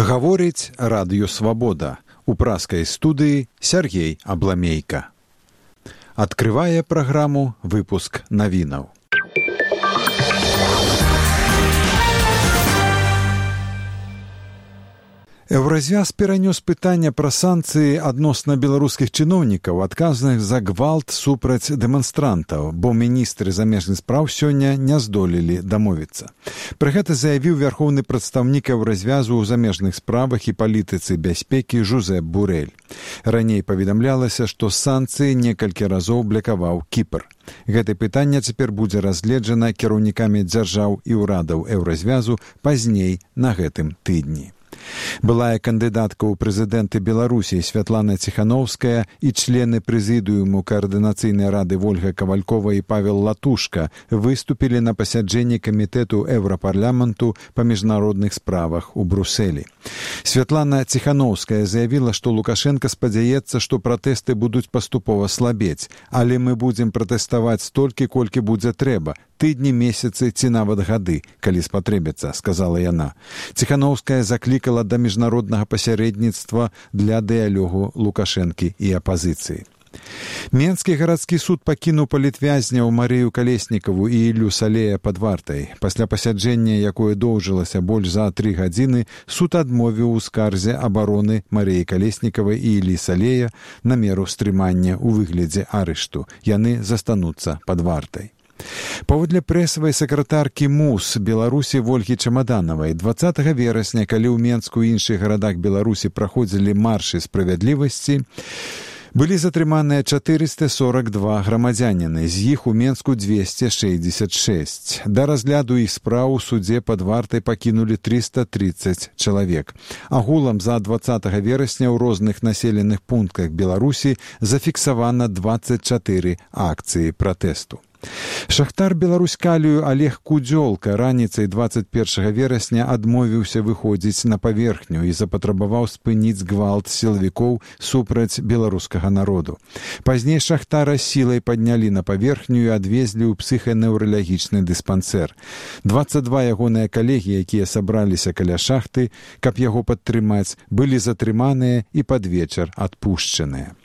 Гаворыць радыё «Свабода». У праскай студыі Сергей Абламейка. Адкрывае праграму выпуск навінаў. Еўразвяз перанёс пытанне пра санкцыі адносна беларускіх чыноўнікаў, адказаных за гвалт супраць дэманстрантаў, бо міністры замежных спраў сёння не здолелі дамовіцца. Пры гэта заявіў вярхоўны прадстаўнік Еўразвязу ў замежных справах і палітыцы бяспекі Жозеп Бурэль. Раней паведамлялася, што санкцыі некалькі разоў блакаваў Кіпр. Гэтае пытанне цяпер будзе разгледжана кіраўнікамі дзяржаў і ўрадаў Еўразвязу пазней на гэтым тыдні. Былая кандыдатка ў прэзідэнты Беларусі Святлана Ціханаўская і члены прэзідыуму Каардынацыйнай рады Вольга Кавалькова і Павел Латушка выступілі на пасяджэнні камітэту Еўрапарламенту па міжнародных справах у Брусэлі. Святлана Ціханаўская заявіла, што Лукашенка спадзяецца, што пратэсты будуць паступова слабець, але мы будзем пратэставаць столькі, колькі будзе трэба, тыдні, месяцы ці нават гады, калі спатрэбіцца, сказала яна. Ціханаўская заклікала да міжнароднага пасярэдніцтва для дыялогу Лукашэнкі і апазіцыі. Менскі гарадскі суд пакінуў палітвязняў Марыю Калеснікаву і Іллю Салея пад вартай. Пасля пасяджэння, якое доўжылася больш за 3 гадзіны, суд адмовіў у скарзе абароны Марыі Калеснікавай і Іллі Салея на меру стрымання ў выглядзе арышту. Яны застануцца пад вартай. Паводле прэсавай сакратаркі МУС Беларусі Вольгі Чамаданавай 20 верасня, калі ў Менску і іншых гарадах Беларусі праходзілі маршы справядлівасці, былі затрыманыя 442 грамадзяніны, з іх у Менску 266. Да разгляду іх спраў у судзе пад вартай пакінулі 330 чалавек. Агулам за 20 верасня ў розных населеных пунктах Беларусі зафіксавана 24 акцыі пратэсту. Шахтар Беларуськалію Олег Кудзёлка раніцай 21 верасня адмовіўся выходзіць на паверхню і запатрабаваў спыніць гвалт сілавікоў супраць беларускага народу. Пазней шахтара сілай паднялі на паверхню і адвезлі ў псіханеўралагічны дыспансер. 22 ягоныя калегі, якія сабраліся каля шахты, каб яго падтрымаць, былі затрыманыя і пад вечар адпушчаныя.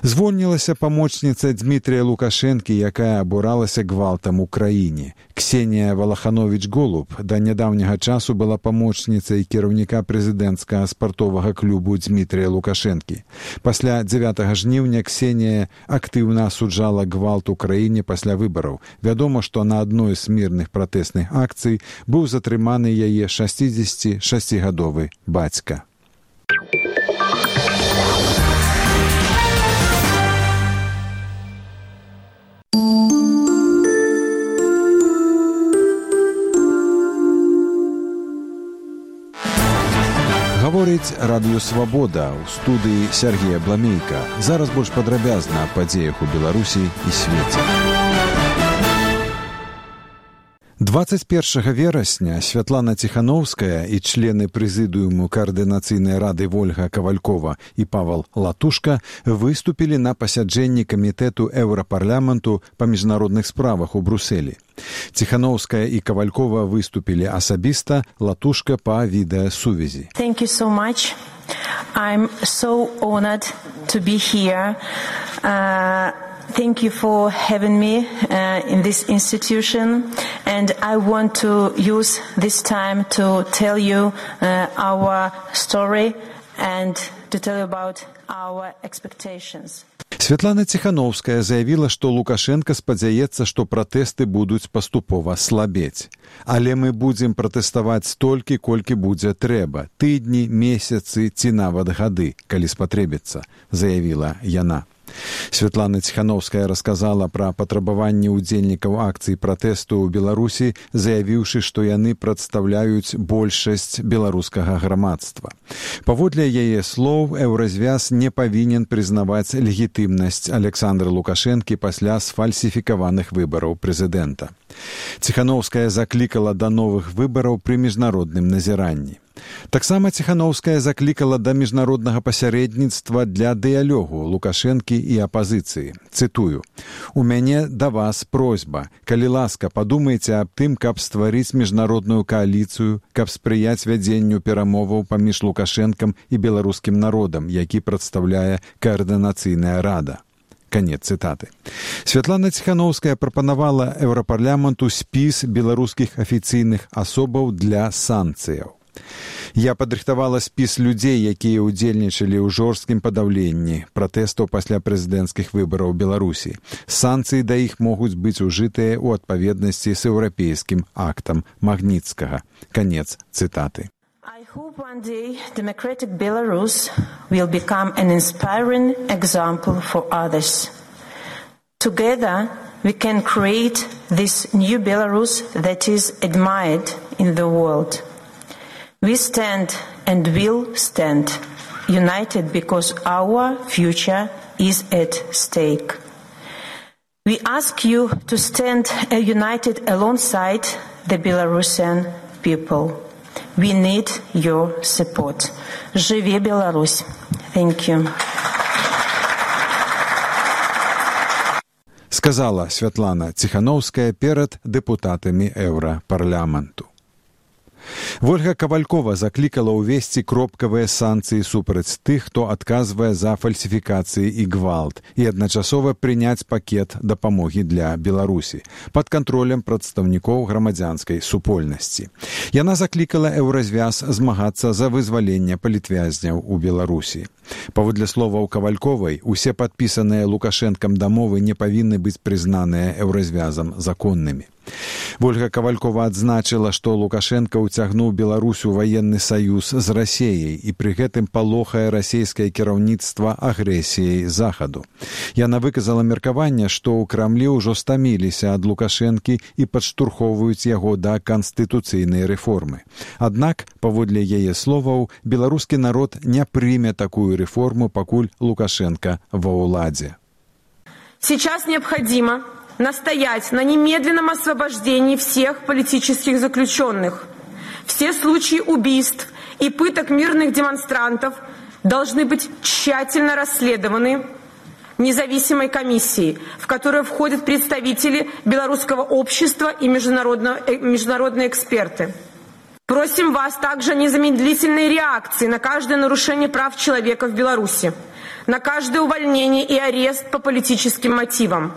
Звольнілася памочніца Дмітрія Лукашэнкі, якая абуралася гвалтам у краіне. Ксенія Валахановіч-Голуб да нядаўняга часу была памочніцай кіраўніка прэзідэнцкага спартовага клубу Дмітрія Лукашэнкі. Пасля 9 жніўня Ксенія актыўна асуджала гвалт у краіне пасля выбараў. Вядома, што на адной з мірных пратэсных акцый быў затрыманы яе 66-гадовы бацька. Гаворыць радыё «Свабода», у студыі Сергей Абламейка. Зараз больш падрабязна аб падзеях у Беларусі і свеце. 21 верасня Святлана Ціханаўская і члены прэзідыуму Каардынацыйнай рады Вольга Кавалькова і Павел Латушка выступілі на пасяджэнні камітэту Еўрапарламенту па міжнародных справах у Брусэлі. Ціханаўская і Кавалькова выступілі асабіста, Латушка па відэасувязі. Thank you so much. I'm so honored to be here. Thank you for having me in this institution, and I want to use this time to tell you our story and to tell you about our expectations. Святлана Ціханаўская заявіла, што Лукашенка спадзяецца, што пратэсты будуць паступова слабець. Але мы будзем пратэставаць столькі, колькі будзе трэба, тыдні, месяцы ці нават гады, калі спатрэбіцца, заявіла яна. Святлана Ціханаўская расказала пра патрабаванні ўдзельнікаў акцый пратэсту ў Беларусі, заявіўшы, што яны прадстаўляюць большасць беларускага грамадства. Паводле яе слоў, Еўразвяз не павінен прызнаваць легітымнасць Александра Лукашэнкі пасля сфальсіфікаваных выбараў прэзідэнта. Ціханаўская заклікала да новых выбараў пры міжнародным назіранні. Таксама Ціханаўская заклікала да міжнароднага пасярэдніцтва для дыялогу Лукашэнкі і апазіцыі. Цытую: «У мяне да вас просьба. Калі ласка, падумайце аб тым, каб стварыць міжнародную кааліцыю, каб спрыяць вядзенню перамоваў паміж Лукашэнкам і беларускім народам, які прадстаўляе каардынацыйная рада». Конец цитаты. Святлана Ціханаўская прапанавала Еўрапарламенту спіс беларускіх афіцыйных асобаў для санкцыяў. Я падрыхтавала спіс людзей, якія ўдзельнічалі ў жорсткім падаўленні пратэстаў пасля прэзідэнцкіх выбараў Беларусі. Санкцыі да іх могуць быць ужытыя ў адпаведнасці з еўрапейскім актам Магніцкага. Конец цитаты. I hope one day democratic Belarus will become an inspiring example for others. Together we can create this new Belarus that is admired in the world. We stand and will stand united because our future is at stake. We ask you to stand united alongside the Belarusian people. We need your support. Живи Беларусь. Thank you. Сказала Святлана Ціханаўская перад дэпутатамі Еўрапарламенту. Вольга Кавалькова заклікала ўвесці кропкавыя санкцыі супраць тых, хто адказвае за фальсіфікацыі і гвалт, і адначасова прыняць пакет дапамогі для Беларусі пад кантролем прадстаўнікоў грамадзянскай супольнасці. Яна заклікала Еўразвяз змагацца за вызваленне палітвязняў у Беларусі. Паводле словаў Кавальковай, усе падпісаныя Лукашэнкам дамовы не павінны быць прызнаныя Еўразвязам законнымі. Вольга Кавалькова адзначыла, што Лукашэнка ўцягнуў Беларусь у ваенны саюз з Расеяй і пры гэтым палохае расейскае кіраўніцтва агрэсіяй Захаду. Яна выказала меркаванне, што ў Крамлі ўжо стаміліся ад Лукашэнкі і падштурхоўваюць яго да канстытуцыйнай рэформы. Аднак, паводле яе словаў, беларускі народ не прыме такую рэформу, пакуль Лукашенко ва ўладзе. Сейчас необходимо настоять на немедленном освобождении всех политических заключенных. Все случаи убийств и пыток мирных демонстрантов должны быть тщательно расследованы независимой комиссией, в которую входят представители белорусского общества и международные эксперты. Просим вас также о незамедлительной реакции на каждое нарушение прав человека в Беларуси, на каждое увольнение и арест по политическим мотивам.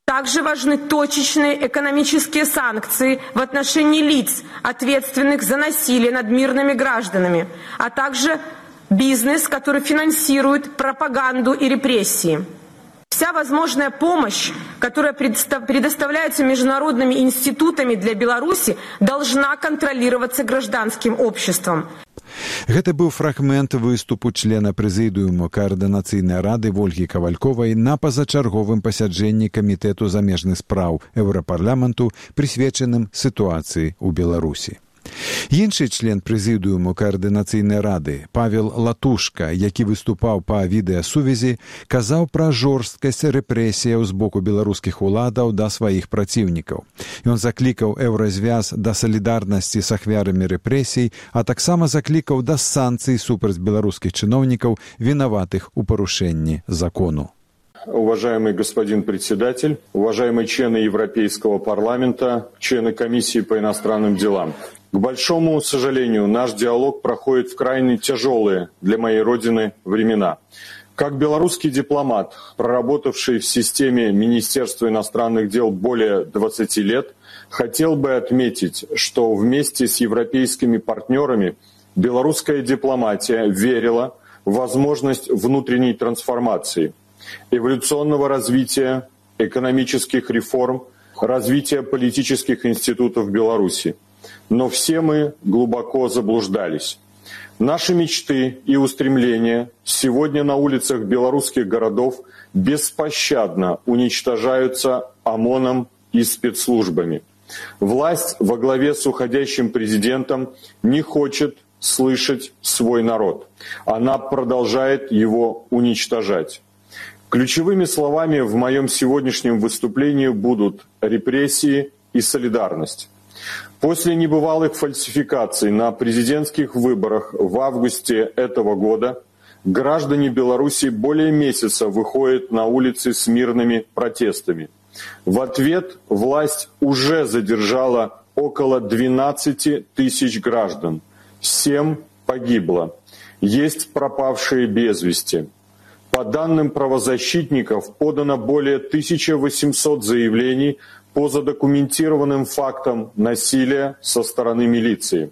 Также важны точечные экономические санкции в отношении лиц, ответственных за насилие над мирными гражданами, а также бизнес, который финансирует пропаганду и репрессии. Вся возможная помощь, которая предоставляется международными институтами для Беларуси, должна контролироваться гражданским обществом. Гэта быў фрагмент выступу члена прэзідыуму каардынацыйнай рады Вольгі Кавальковай на пазачарговым пасяджэнні камітэту замежных спраў Еўрапарламенту, прысвечаным сітуацыі ў Беларусі. Іншы член прэзідыуму каардынацыйнай рады, Павел Латушка, які выступаў па відэасувязі, казаў пра жорсткасць рэпрэсіяў з боку беларускіх уладаў да сваіх праціўнікаў. Ён заклікаў Еўразвяз да салідарнасці з ахвярамі рэпрэсій, а таксама заклікаў да санкцый супраць беларускіх чыноўнікаў, вінаватых у парушэнні закону. Уважаемый господин председатель, уважаемые члены Европейского парламента, члены комиссии по иностранным делам. К большому сожалению, наш диалог проходит в крайне тяжелые для моей родины времена. Как белорусский дипломат, проработавший в системе Министерства иностранных дел более 20 лет, хотел бы отметить, что вместе с европейскими партнерами белорусская дипломатия верила в возможность внутренней трансформации, эволюционного развития, экономических реформ, развития политических институтов Беларуси. Но все мы глубоко заблуждались. Наши мечты и устремления сегодня на улицах белорусских городов беспощадно уничтожаются ОМОНом и спецслужбами. Власть во главе с уходящим президентом не хочет слышать свой народ. Она продолжает его уничтожать. Ключевыми словами в моем сегодняшнем выступлении будут репрессии и солидарность. После небывалых фальсификаций на президентских выборах в августе этого года граждане Беларуси более месяца выходят на улицы с мирными протестами. В ответ власть уже задержала около 12 тысяч граждан. 7 погибло. Есть пропавшие без вести. По данным правозащитников, подано более 1800 заявлений по задокументированным фактам насилия со стороны милиции.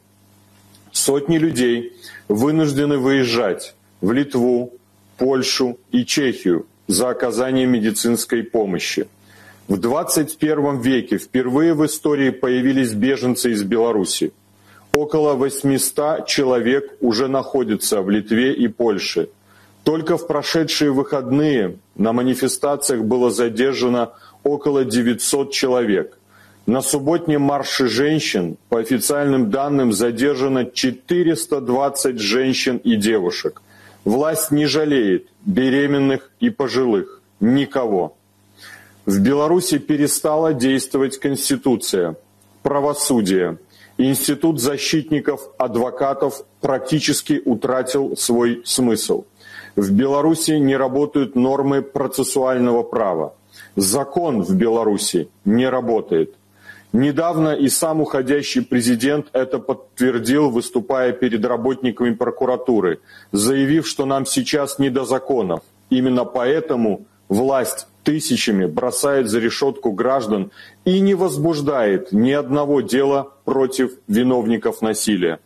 Сотни людей вынуждены выезжать в Литву, Польшу и Чехию за оказанием медицинской помощи. В 21 веке впервые в истории появились беженцы из Беларуси. Около 800 человек уже находятся в Литве и Польше. Только в прошедшие выходные на манифестациях было задержано около 900 человек. На субботнем марше женщин, по официальным данным, задержано 420 женщин и девушек. Власть не жалеет беременных и пожилых. Никого. В Беларуси перестала действовать Конституция, правосудие. Институт защитников, адвокатов практически утратил свой смысл. В Беларуси не работают нормы процессуального права. Закон в Беларуси не работает. Недавно и сам уходящий президент это подтвердил, выступая перед работниками прокуратуры, заявив, что нам сейчас не до законов. Именно поэтому власть тысячами бросает за решетку граждан и не возбуждает ни одного дела против виновников насилия.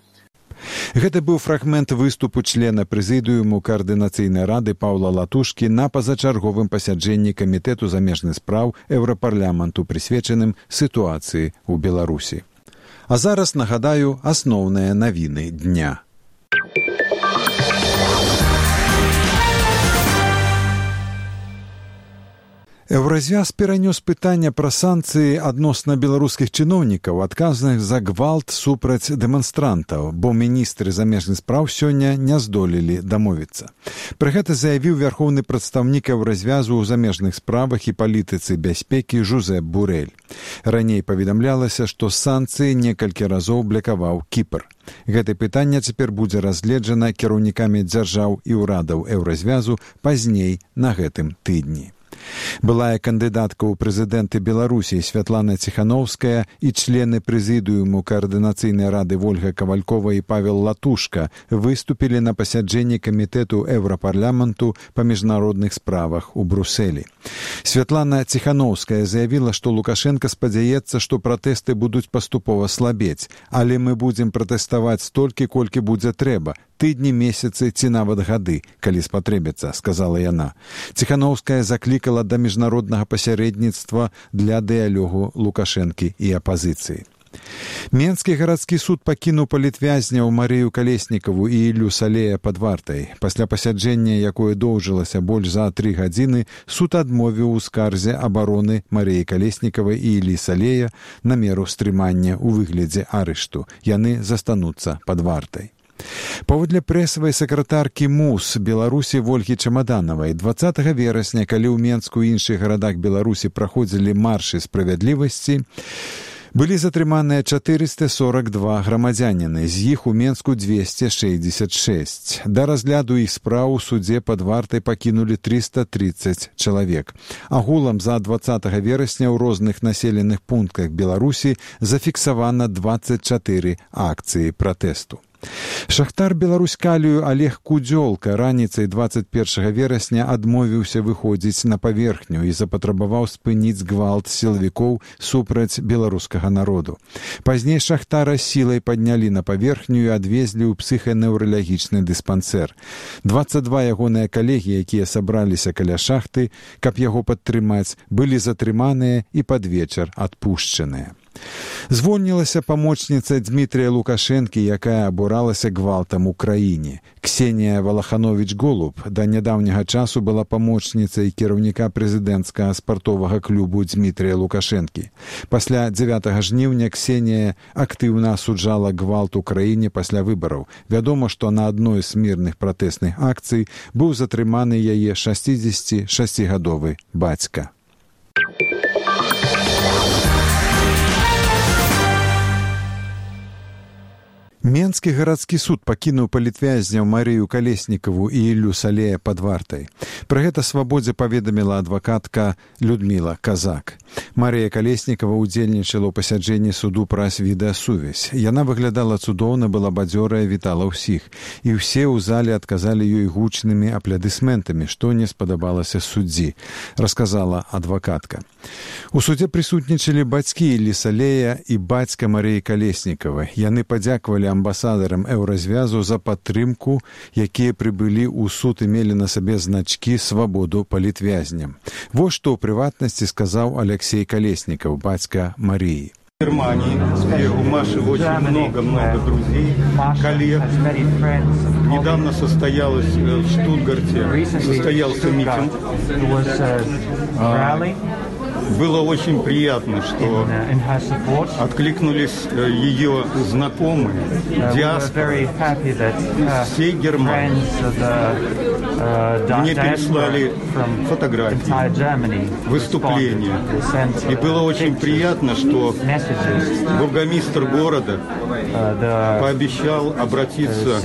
Гэта быў фрагмент выступу члена прэзідыуму Каардынацыйнай рады Паўла Латушкі на пазачарговым пасяджэнні Камітэту замежных спраў Еўрапарламенту, прысвечаным сітуацыі ў Беларусі. А зараз нагадаю асноўныя навіны дня. Еўразвяз перанёс пытанне пра санкцыі адносна беларускіх чыноўнікаў, адказных за гвалт супраць дэманстрантаў, бо міністры замежных спраў сёння не здолелі дамовіцца. Пры гэта заявіў вярхоўны прадстаўнік Еўразвязу ў замежных справах і палітыцы бяспекі Жозеп Бурэль. Раней паведамлялася, што санкцыі некалькі разоў блакаваў Кіпр. Гэтае пытанне цяпер будзе разгледжана кіраўнікамі дзяржаў і ўрадаў Еўразвязу пазней на гэтым тыдні. Былая кандыдатка ў прэзідэнты Беларусі Святлана Ціханаўская і члены прэзідыуму Каардынацыйнай рады Вольга Кавалькова і Павел Латушка выступілі на пасяджэнні Камітэту Еўрапарламенту па міжнародных справах у Брусэлі. Святлана Ціханаўская заявіла, што Лукашенка спадзяецца, што пратэсты будуць паступова слабець, але мы будзем пратэставаць столькі, колькі будзе трэба, тыдні, месяцы ці нават гады, калі спатрэбіцца, сказала яна. Ціханаўская заклікала да міжнароднага пасярэдніцтва для дыялогу Лукашэнкі і апазіцыі. Менскі гарадскі суд пакінуў палітвязняў Марыю Калеснікаву і Іллю Салея пад вартай. Пасля пасяджэння, якое доўжылася больш за 3 гадзіны, суд адмовіў у скарзе абароны Марыі Калеснікавай і Іллі Салея на меру стрымання ў выглядзе арышту. Яны застануцца пад вартай. Паводле прэсавай сакратаркі МУС Беларусі Вольгі Чамаданавай, 20 верасня, калі ў Менску і іншых гарадах Беларусі праходзілі маршы справядлівасці, былі затрыманыя 442 грамадзяніны, з іх у Менску 266. Да разгляду іх спраў у судзе пад вартай пакінулі 330 чалавек. Агулам за 20 верасня ў розных населеных пунктах Беларусі зафіксавана 24 акцыі пратэсту. Шахтар Беларуськалію Олег Кудзёлка раніцай 21 верасня адмовіўся выходзіць на паверхню і запатрабаваў спыніць гвалт сілавікоў супраць беларускага народу. Пазней шахтара сілай паднялі на паверхню і адвезлі ў псіханеўралагічны дыспансер. 22 ягоныя калегі, якія сабраліся каля шахты, каб яго падтрымаць, былі затрыманыя і пад вечар адпушчаныя. Звольнілася памочніца Дмітрія Лукашэнкі, якая абуралася гвалтам у краіне. Ксенія Валахановіч-Голуб да нядаўняга часу была памочніцай кіраўніка прэзідэнцкага спартовага клубу Дмітрія Лукашэнкі. Пасля 9 жніўня Ксенія актыўна асуджала гвалт у краіне пасля выбараў. Вядома, што на адной з мірных пратэсных акцый быў затрыманы яе 66-гадовы бацька. Менскі гарадскі суд пакінуў палітвязняў Марыю Калеснікаву і Іллю Салея пад вартай. Пра гэта «Свабодзе» паведаміла адвакатка Людміла Казак. Марыя Калеснікава ўдзельнічала ў пасяджэнні суду праз відэасувязь. Яна выглядала цудоўна, была бадзёрая, вітала ўсіх. І ўсе ў зале адказалі ёй гучнымі апладысментамі, што не спадабалася суддзі, расказала адвакатка. У судзе прысутнічалі бацькі Іллі Салея і бацька Марыі Калеснікавай. Яны падзякавалі амбасадарам Еўразвязу за падтрымку, якія прыбылі ў суд і мелі на сабе значкі «Свабоду палітвязням». Вось што ў прыватнасці сказаў Алексей Колесников, батька Марии. В Германии у Маши очень много друзей, коллег. Недавно состоялось в Штутгарте, состоялся митинг. Было очень приятно, что откликнулись ее знакомые, диаспоры всей Германии. Мне переслали фотографии, выступления. И было очень приятно, что бургомистр города пообещал обратиться,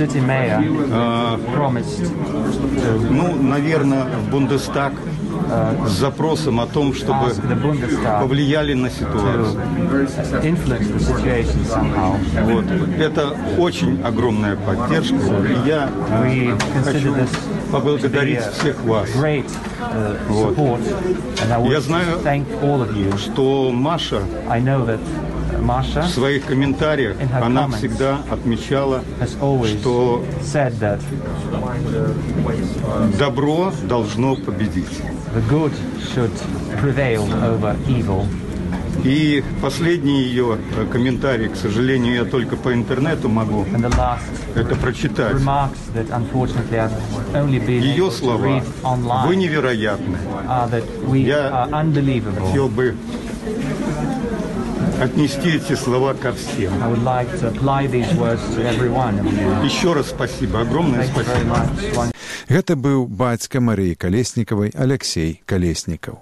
наверное, в Бундестаг с запросом о том, чтобы повлияли на ситуацию. Вот. Это очень огромная поддержка. И я хочу поблагодарить всех вас. Вот. Я знаю, что Маша в своих комментариях она всегда отмечала, что добро должно победить. И последний ее комментарий, к сожалению, я только по интернету могу это прочитать. Ее слова: «Вы невероятны». Я хотел бы отнести эти слова ко всем. Еще раз спасибо, огромное спасибо. Гэта быў бацька Марыі Калеснікавай Алексей Калеснікаў.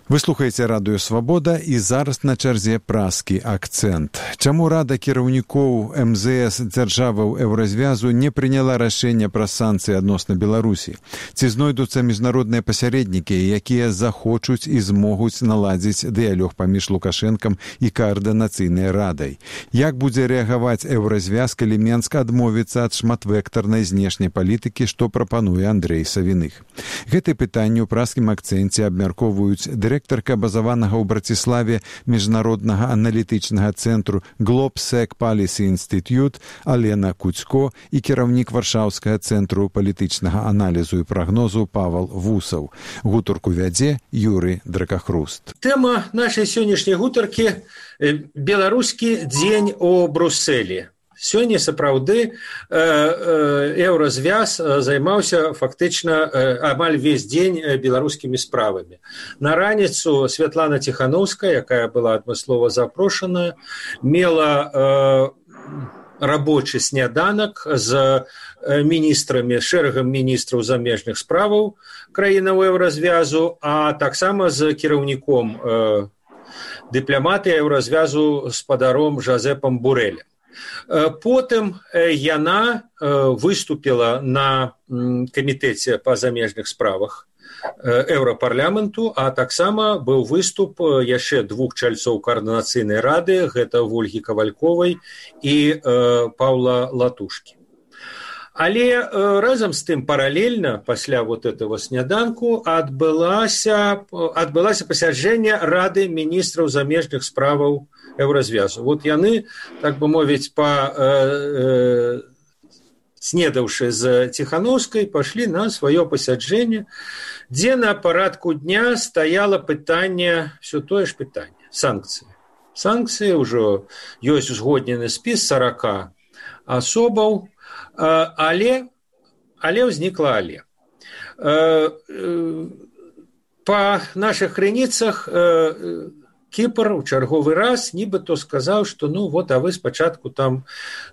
Вы слухаеце радыё «Свабода» і зараз на чарзе празкі акцэнт. Чаму Рада кіраўнікоў МЗС дзяржаваў Еўразвязу не прыняла рашэнне пра санкцыі адносна Беларусі? Ці знойдуцца міжнародныя пасярэднікі, якія захочуць і змогуць наладзіць дыялог паміж Лукашэнкам і каардынацыйнай радай? Як будзе рэагаваць Еўразвяз, калі Менск адмовіцца ад шматвектарнай знешняй палітыкі, што прапануе Андрэй Савіных? Гэты пытанні ў празкім акцэнце абмяркоўваюць дырэктарка базаванага ў Браціславе міжнароднага аналітычнага цэнтру Globsec Policy Institute Алена Куцько і кіраўнік Варшаўскага цэнтру палітычнага аналізу і прагнозу Павал Вусаў. Гутарку вядзе Юрый Дракахруст. Тэма нашай сённяшняй гутаркі «Беларускі дзень у Брусэлі». Сёння сапраўды Еўразвяз займаўся фактычна амаль весь дзень беларускімі справамі. На раніцу Святлана Ціхановская, якая была адмыслова запрошаная, мела рабочы сняданак з міністрамі, шэрагам міністраў замежных справаў краінаў Еўразвязу, а таксама з кіраўніком дыпламатыі Еўразвязу спадаром Жазэпам Бурэлем. Потым яна выступила на камітэце па замежных справах Еўрапарламенту, а таксама быў выступ яшчэ двух чальцоў каардынацыйнай рады, гэта Вольгі Кавальковай і Паўла Латушкі. Але разам з тым паралельна пасля вот этого сняданку адбылася пасяджэнне Рады міністраў замежных справаў Еўразвязу. Вот яны, так бы мовіць, снедаўшы з Ціхановскай, пашлі на сваё пасяджэнне, дзе на парадку дня стаяла пытанне, все тое ж пытанне, санкцыі. Санкцыі ўжо ёсць узгоднены спіс 40 асобаў, але ўзнікла але. Па нашых крыніцах Кіпр у чарговы раз нібыто сказаў, што а вы спачатку там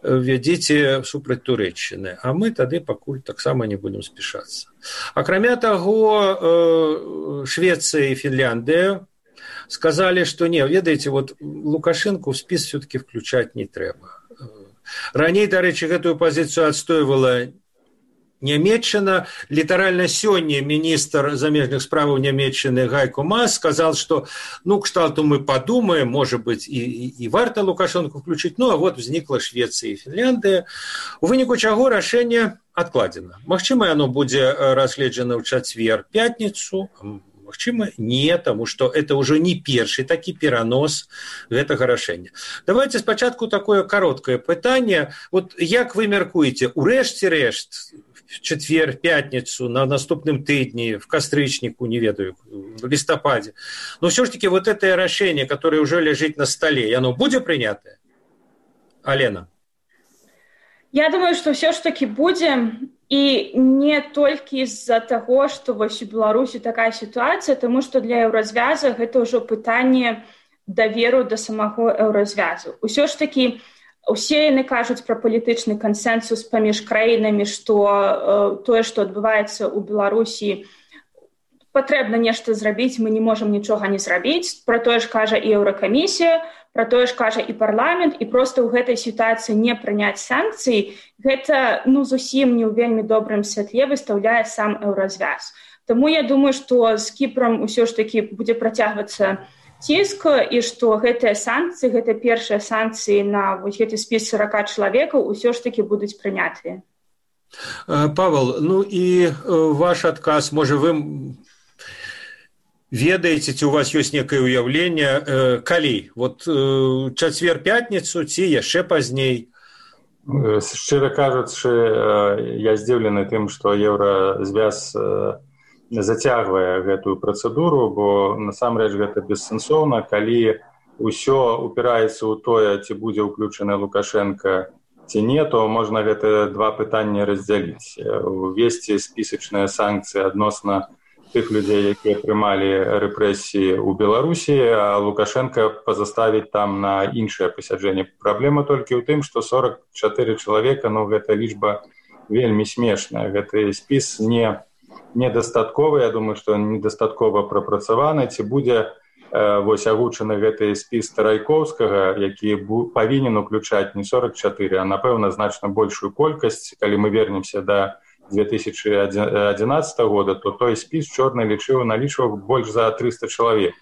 вядзіце супраць Турэччыны, а мы тады пакуль таксама не будем спяшацца. Акрамя таго, Швецыя і Фінляндыя сказалі, што не, ведаеце, вот Лукашэнку ў спіс все-таки включаць не трэба. Раней, дарэчы, гэтую пазіцыю адстойвала Нямецчына. Літаральна сёння міністр замежных справаў Нямецчыны Гайко Маас сказал, что кшталту мы подумаем, может быть, и варта Лукашенко включить. А вот возникла Швеция и Финляндия. У выніку чаго рашэнне адкладзена. Магчыма, оно будзе разгледжана ў чацвер, пятніцу, магчыма, не, тому что это уже не першы такі перанос гэтага рашэння. Давайте спачатку такое кароткае пытанне. Вот як вы мяркуеце, урэшце рэшт, в четвер, пятницу, на наступным тыдні, в кастрычніку, не ведаю, в листопаде. Но все ж таки вот это решение, которое уже лежит на столе, оно будет принято? Алена? Я думаю, что все ж таки будем, и не только из-за того, что в Беларуси такая ситуация, потому что для еўразвяза это уже пытание доверу до самого еўразвязу. Все ж таки усе яны кажуць пра палітычны кансэнсус паміж краінамі, што тое, што адбываецца ў Беларусі, патрэбна нешта зрабіць, мы не можам нічога не зрабіць. Пра тое ж кажа і Еўракамісія, пра тое ж кажа і парламент, і проста ў гэтай сітуацыі не прыняць санкцыі, гэта зусім не ў вельмі добрым святле выстаўляе сам еўразвяз. Таму я думаю, што з Кіпрам усё ж такі будзе працягвацца ціск, і што гэтыя санкцыі, гэта першыя санкцыі на гэты спіс 40 чалавекаў усё ж такі будуць прынятыя. Павел, і ваш адказ, можа, вы ведаеце, ці у вас ёсць некае ўяўленне, калі? Вот чацвер-пятніцу ці яшчэ пазней? Шчыра кажучы, я здзіўлены тым, што еўразвяз зацягвае гэтую працэдуру, бо насамрэч гэта бессэнсоўна, калі ўсё упіраецца ў тое, ці будзе ўключаны Лукашенко, ці не, то можна гэта два пытанні раздзяліць. Увесці спісачныя санкцыі адносна тых людзей, якія прымалі рэпрэсіі ў Беларусі, а Лукашенко пазаставіць там на іншае пасяджэнне. Праблема толькі ў тым, што 44 чалавека, гэта лічба вельмі смешная. Гэты спіс недастатковы, я думаю, што недастаткова прапрацаваны. Ці будзе агучаны гэты спіс Тарайкоўскага, які павінен уключаць не 44, а, напэўна, значна большую колькасць. Калі мы вернемся да 2011 года, то той спіс чорны налічваў больш за 300 чалавек.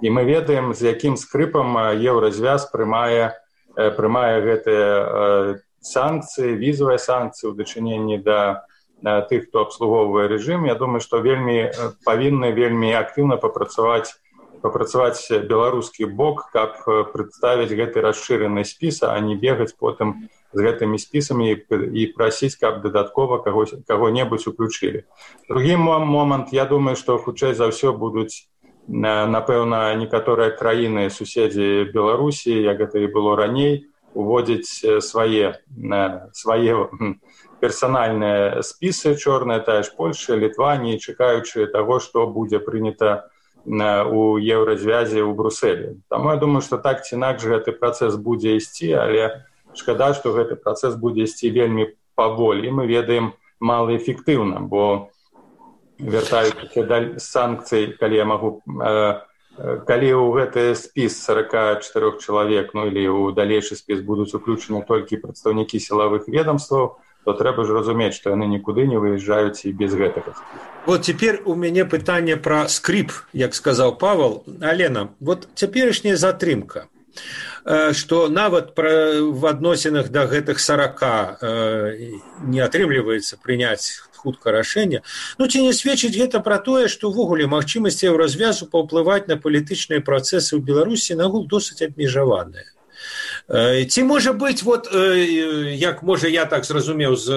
І мы ведаем, з якім скрыпам еўразвяз прымае гэтыя санкцыі, візавыя санкцыі ў дачыненні да тых, хто абслугоўвае рэжым. Я думаю, што павінны вельмі актыўна папрацаваць беларускі бок, каб прадставіць гэты расшыраны спіс, а не бегаць потым з гэтымі спісамі і прасіць, каб дадаткова каго-небудзь уключылі. Другі момант, я думаю, што хутчэй за ўсё будуць, напэўна, некаторыя краіны, суседзі Беларусі, як гэта і было раней, уводзіць свае персанальныя спісы чорныя, тая ж Польша, Літванія, чакаючы таго, што будзе прынята у еўразвязе ў Брусэлі. Таму я думаю, што так ці інакш гэты працэс будзе ісці, але шкада, што гэты працэс будзе ісці вельмі паволі. Мы ведаем малаэфектыўна, бо вяртаючыся да санкцый, калі ў гэты спіс 44 чалавек, или ў далейшы спіс будуць уключаны толькі прадстаўнікі сілавых ведомстваў, то трэба ж разумець, што яны нікуды не выязджаюць і без гэтага. Вот теперь у меня пытанне про скрип, як сказал Павел. Алена, вот цяперашняя затрымка, што нават в адносінах да гэтых 40 не атрымліваецца прыняць хутка рашэнне. Ці не сведчыць гэта пра тое, што ўвогуле магчымасці еўразвязу паўплываць на палітычныя працэсы ў Беларусі нагул досыць абмежаваныя. Ці можа быць, як можа я так зразумеў з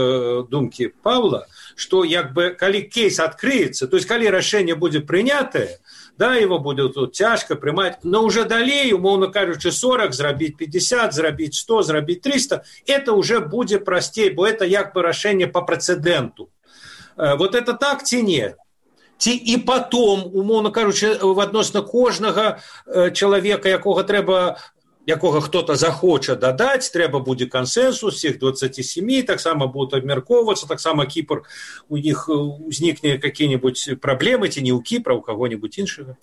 думкі Павла, што калі кейс адкрыецца, то есть калі рашэнне будзе прынятае, его будет цяжка прымаць, но уже далей, умоўна кажучы, 40, зрабіць 50, зрабіць 100, зрабіць 300, это уже будзе прасцей, бо это рашэнне по прецеденту. Вот это так ці не? Ці і потом, умоўна кажучы, адносна кожнага чалавека, якога хто-то захоча дадаць, трэба будзе кансенсус всех 27, таксама будуць абмяркоўвацца, таксама Кіпр, у іх узнікне какие-нибудь праблемы, ці не ў Кіпра, у каго-нибудь іншага?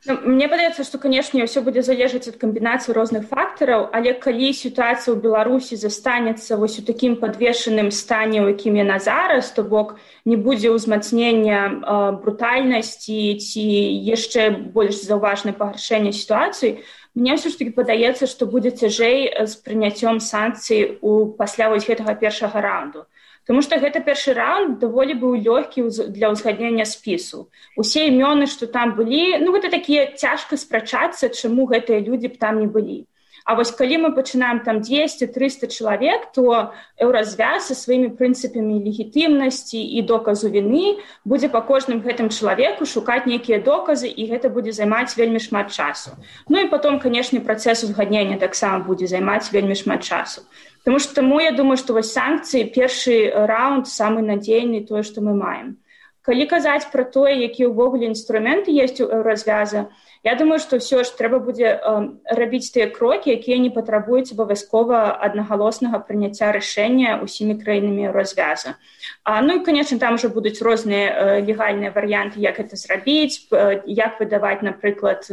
Мне падаецца, што, канешне, ўсё будзе залежаць ад камбінацыі розных фактараў, але калі сітуацыя ў Беларусі застанецца вось у такім падвешаным стане, у якім яна зараз, то бок не будзе ўзмацнення брутальнасці ці яшчэ больш заўважнае пагаршэнне сітуацыі, мне ўсё ж такі падаецца, што будзе цяжэй з прыняццём санкцый пасля вось гэтага першага раунду. Тому што гэта першы раунд даволі быў лёгкі для ўзгаднення спісу. Усе імёны, што там былі, гэта такія цяжка спрачацца, чаму гэтыя людзі б там не былі. А вось калі мы пачынаем там 200-300 чалавек, то еўразвяз са сваімі прынцыпамі легітымнасці і доказу віны будзе па кожным гэтым чалавеку шукаць нейкія доказы, і гэта будзе займаць вельмі шмат часу. І потом, канешне, працэс узгаднення таксама будзе займаць вельмі шмат часу. Таму я думаю, што вось санкцыі, першы раунд самы надзейны, тое, што мы маем. Калі казаць пра тое, якія ўвогуле інструменты ёсць у еўразвяза, я думаю, што ўсё ж трэба будзе рабіць тыя крокі, якія не патрабуюць абавязкова аднагалоснага прыняцця рашэння ўсімі краінамі еўразвяза. І, канечне, там ужо будуць розныя легальныя варыянты, як гэта зрабіць, як выдаваць, напрыклад,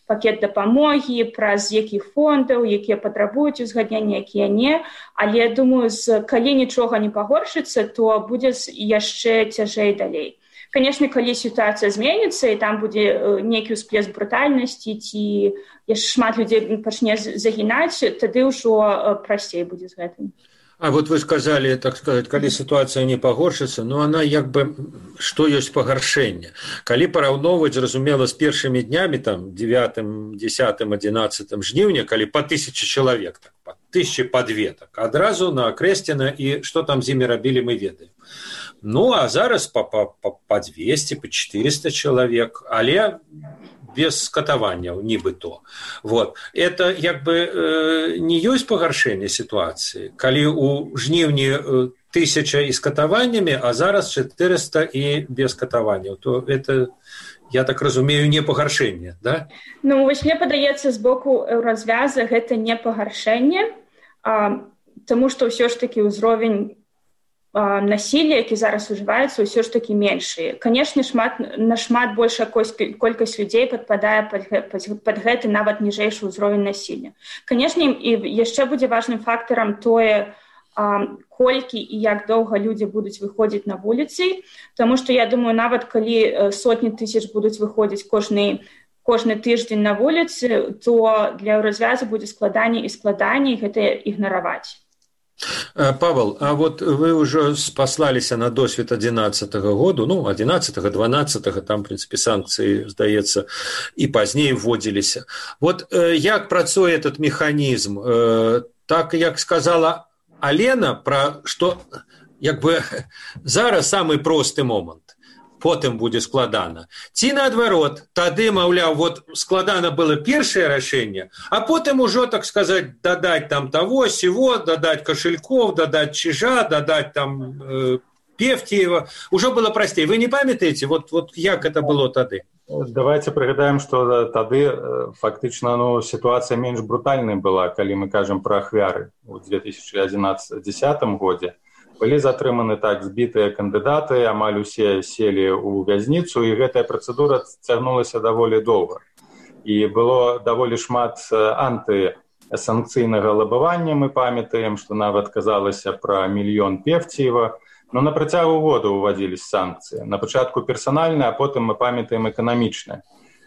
пакет дапамогі, праз якіх фондаў, якія патрабуюць узгаднення, якія не. Але, думаю, калі нічога не пагоршыцца, то будзе яшчэ цяжэй далей. Канешне, калі сітуацыя зменіцца, і там будзе нейкі ўсплеск брутальнасці, ці яшчэ шмат людзей пачне загінаць, тады ўжо прасцей будзе з гэтым. А вот вы сказали, так сказать, калі ситуация не пагоршыцца, она што ёсць пагаршэнне. Калі параўноўваць, зразумела, з першымі днямі, там, 9, 10, 11 жніўня, калі па 1000 чалавек, так, па 1000, па 2, так, адразу накрэслена, і што там з імі рабілі, мы ведаем. А зараз па 200, па 400 чалавек, але без катаванняў, нібыто. Это не ёсць пагаршэнне сітуацыі, калі ў жніўні 1000 і з катаваннямі, а зараз 400 і без катаванняў, то это, я так разумею, не пагаршэнне, да? Вось мне падаецца, з боку еўразвяза гэта не пагаршэнне, таму што ўсё ж такі ўзровень насилля, які зараз ужываецца, ўсё ж такі меншы. Канешне, нашмат большая колькасць людзей падпадае пад гэты нават ніжэйшы ўзровень насилля. Канешне, і яшчэ будзе важным фактарам тое, колькі і як доўга людзі будуць выходзіць на вуліцы, таму што, я думаю, нават калі сотні тысяч будуць выходзіць кожны тыждзень на вуліцы, то для еўразвяза будзе складаней і складаней гэта ігнараваць. Павел, а вот вы уже спаслаліся на досвед 11-го году, 11-го, 12-го, там, в принципе, санкции, здаецца, и позднее вводились. Вот як працуе этот механизм? Так, як сказала Алена, про что, зараз самый просты момент. Потым будзе складана. Ці наадварот, тады, маўляў, складана было першае рашэнне, а потым ужо, так сказаць, дадаць там того, сего, дадаць кошельков, дадаць чижа, дадаць там Певтиева. Ужо было прасцей. Вы не памятаеце, як это было тады? Давайте пригадаем, што тады фактычна сітуацыя менш брутальнай была, калі мы кажам пра ахвяры ў 2010 годзе. Былі затрыманы так збітыя кандыдаты, амаль усе селі ў вязніцу, і гэтая працэдура цягнулася даволі доўга. І было даволі шмат антысанкцыйнага лабавання, мы памятаем, што нават казалася пра 1 мільён Певтиева. На працягу года ўвадзіліся санкцыі. На пачатку персанальныя, а потым мы памятаем эканамічныя.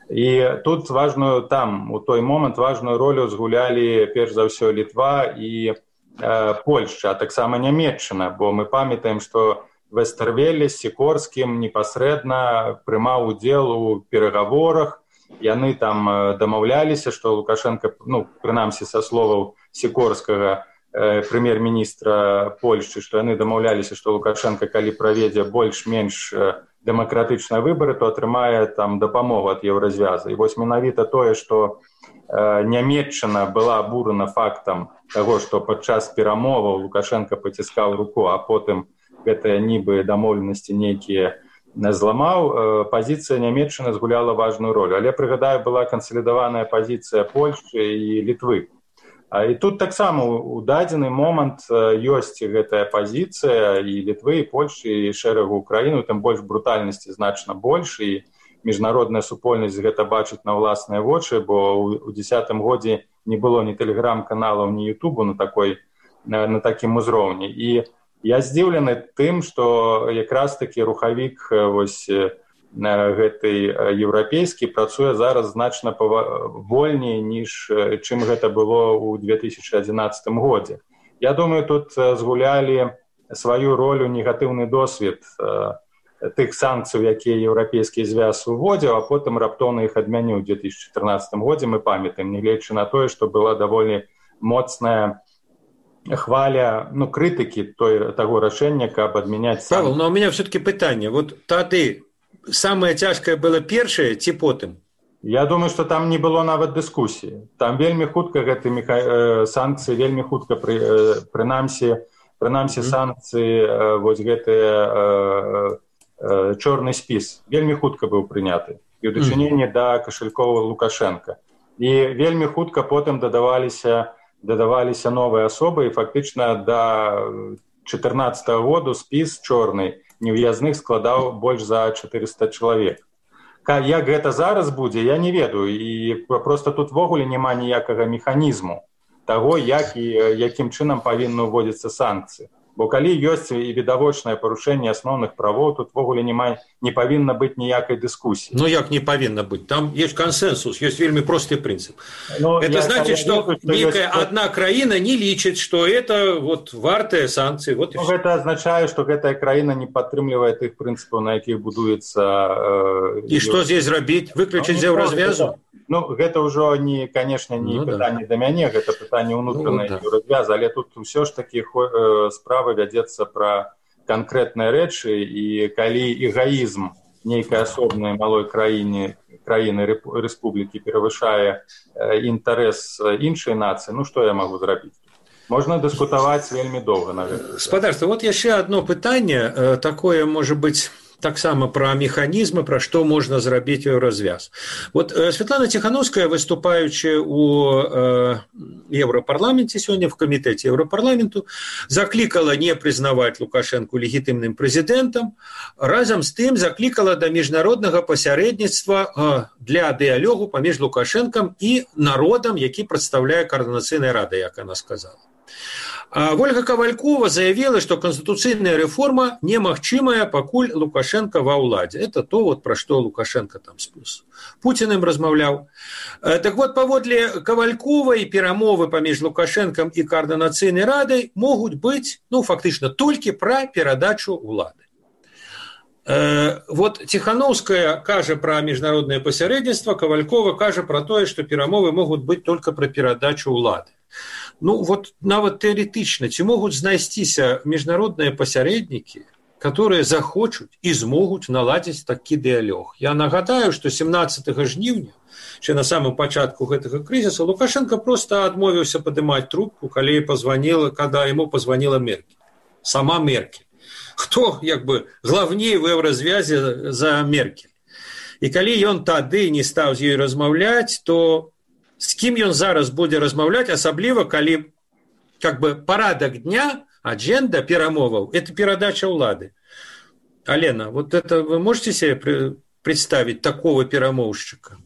І тут у той момант важную ролю згулялі перш за ўсё Літва і Польшча, а таксама Нямецчына, бо мы памятаем, што Вестэрвелле з Сікорскім непасрэдна прымаў удзел у перагаворах. Яны там дамаўляліся, што Лукашенко, прынамсі са словаў Сікорскага, прэм'ер-міністра Польшчы, што яны дамаўляліся, што Лукашенко, калі праведзе больш-менш дэмакратычныя выбары, то атрымае там дапамогу ад еўразвяза. І вось менавіта тое, што Нямецчына была абурана фактам таго, што падчас перамоваў Лукашенко паціскаў руку, а потым гэтыя нібы дамоўленасці нейкія зламаў, пазіцыя Нямецчыны згуляла важную ролю. Але, прыгадаю, была кансалідаваная пазіцыя Польшчы і Літвы. І тут таксама у дадзены момант ёсць гэтая пазіцыя і Літвы, і Польшчы, і шэрагу Украіны, там больш брутальнасці значна больш, і міжнародная супольнасць гэта бачыць на ўласныя вочы, бо ў 2010 годзе не было ні тэлеграм-каналаў, ні Ютубу на такім узроўні. І я здзіўлены тым, што якраз такі рухавік вось гэты еўрапейскі працуе зараз значна вольней, ніж чым гэта было ў 2011 годзе. Я думаю, тут згулялі сваю ролю негатыўны досвед тых санкцый, якія еўрапейскі звяз уводзіў, а потым раптоўна іх адмяніў у 2014 годзе, мы памятаем, нягледзячы на тое, што была даволі моцная хваля, крытыкі таго рашэння, каб адмяняць санкцыі. Павел, но у меня все-таки пытанне. Вот тады самае цяжкае было першае ці потым? Я думаю, што там не было нават дыскусіі. Там вельмі хутка гэты санкцыі, вельмі хутка прынамсі санкцыі, вось гэтыя чорны спіс вельмі хутка быў прыняты і ў дачыненні да кашалькова Лукашенка. І вельмі хутка потым дадаваліся новыя асобы, і фактычна да 2014 году спіс чорны невыязных складаў больш за 400 чалавек. Як гэта зараз будзе, я не ведаю, і проста тут ввогуле няма ніякага механізму таго, якім чынам павінны ўводзіцца санкцыі. Бо калі ёсць і відавочнае парушэнне асноўных правоў, тут ввогуле не павінна быць ніякай дыскусіі. Ну як не павінна быць? Там ёсць кансенсус, ёсць вельмі просты прынцып. Это значит, што некая адна краіна не лічыць, што это вот вартыя санкцыі. Вот гэта азначае, што гэтая краіна не падтрымлівае тых прынцыпаў, на якіх будуецца... І што здесь зрабіць? Выключыць з еўразвязу? Гэта ўжо, канешне, не пытанне да мяне, гэта пытанне ўнутранай еўразвязу, але тут ўсё ж такі справа вядзецца пра канкрэтныя рэчы, і калі эгаізм нейкай асобнай малой краіны рэспублікі перавышае інтарэс іншай нацыі, што я магу зрабіць? Можна дыскутаваць вельмі доўга на гэта. Спадарства, вот яшчэ адно пытанне, такое, можа быць, таксама пра механізмы, пра што можна зрабіць еўразвяз. Вот Светлана Ціхановская, выступаючы ў Еўрапарламенце сёння, в камітэце Еўрапарламенту, заклікала не прызнаваць Лукашэнку легітымным прэзідэнтам, разам з тым заклікала да міжнароднага пасярэдніцтва для дыялогу паміж Лукашэнкам і народам, які прадстаўляе Координацыйная рада, як она сказала. Ольга Ковалькова заявила, что конституцыйная реформа немагчымая, пакуль Лукашенко ва ўладзе. Это то, вот, про что Лукашенко там с Путиным размаўляў. Так вот, паводле Ковальковай перамовы паміж Лукашенком и Координацыйнай радай могуць быць, фактычна, толькі пра перадачу ўлады. Вот Тихановская кажа про международное посередничество, Ковалькова кажа про тое, что перамовы могут быть только про перадачу улады. Вот нават теоретично, ці могуць знайсціся международные посередники, которые захочуць и змогуць наладзіць такі дыялог. Я нагадаю, что 17 жніўня, ще на самом пачатку гэтага кризиса, Лукашенко просто адмовіўся падымаць трубку, когда ему позвонила Меркель. Сама Меркель. Хто, главней в еўразвязе за Меркель. І калі ён тады не стаў з ёй размаўляць, то з кім ён зараз будзе размаўляць, асабліва калі парадак дня, адженда перамоваў, это перадача ўлады. Алена, вот это вы можете себе представить такого перамоўшчыка?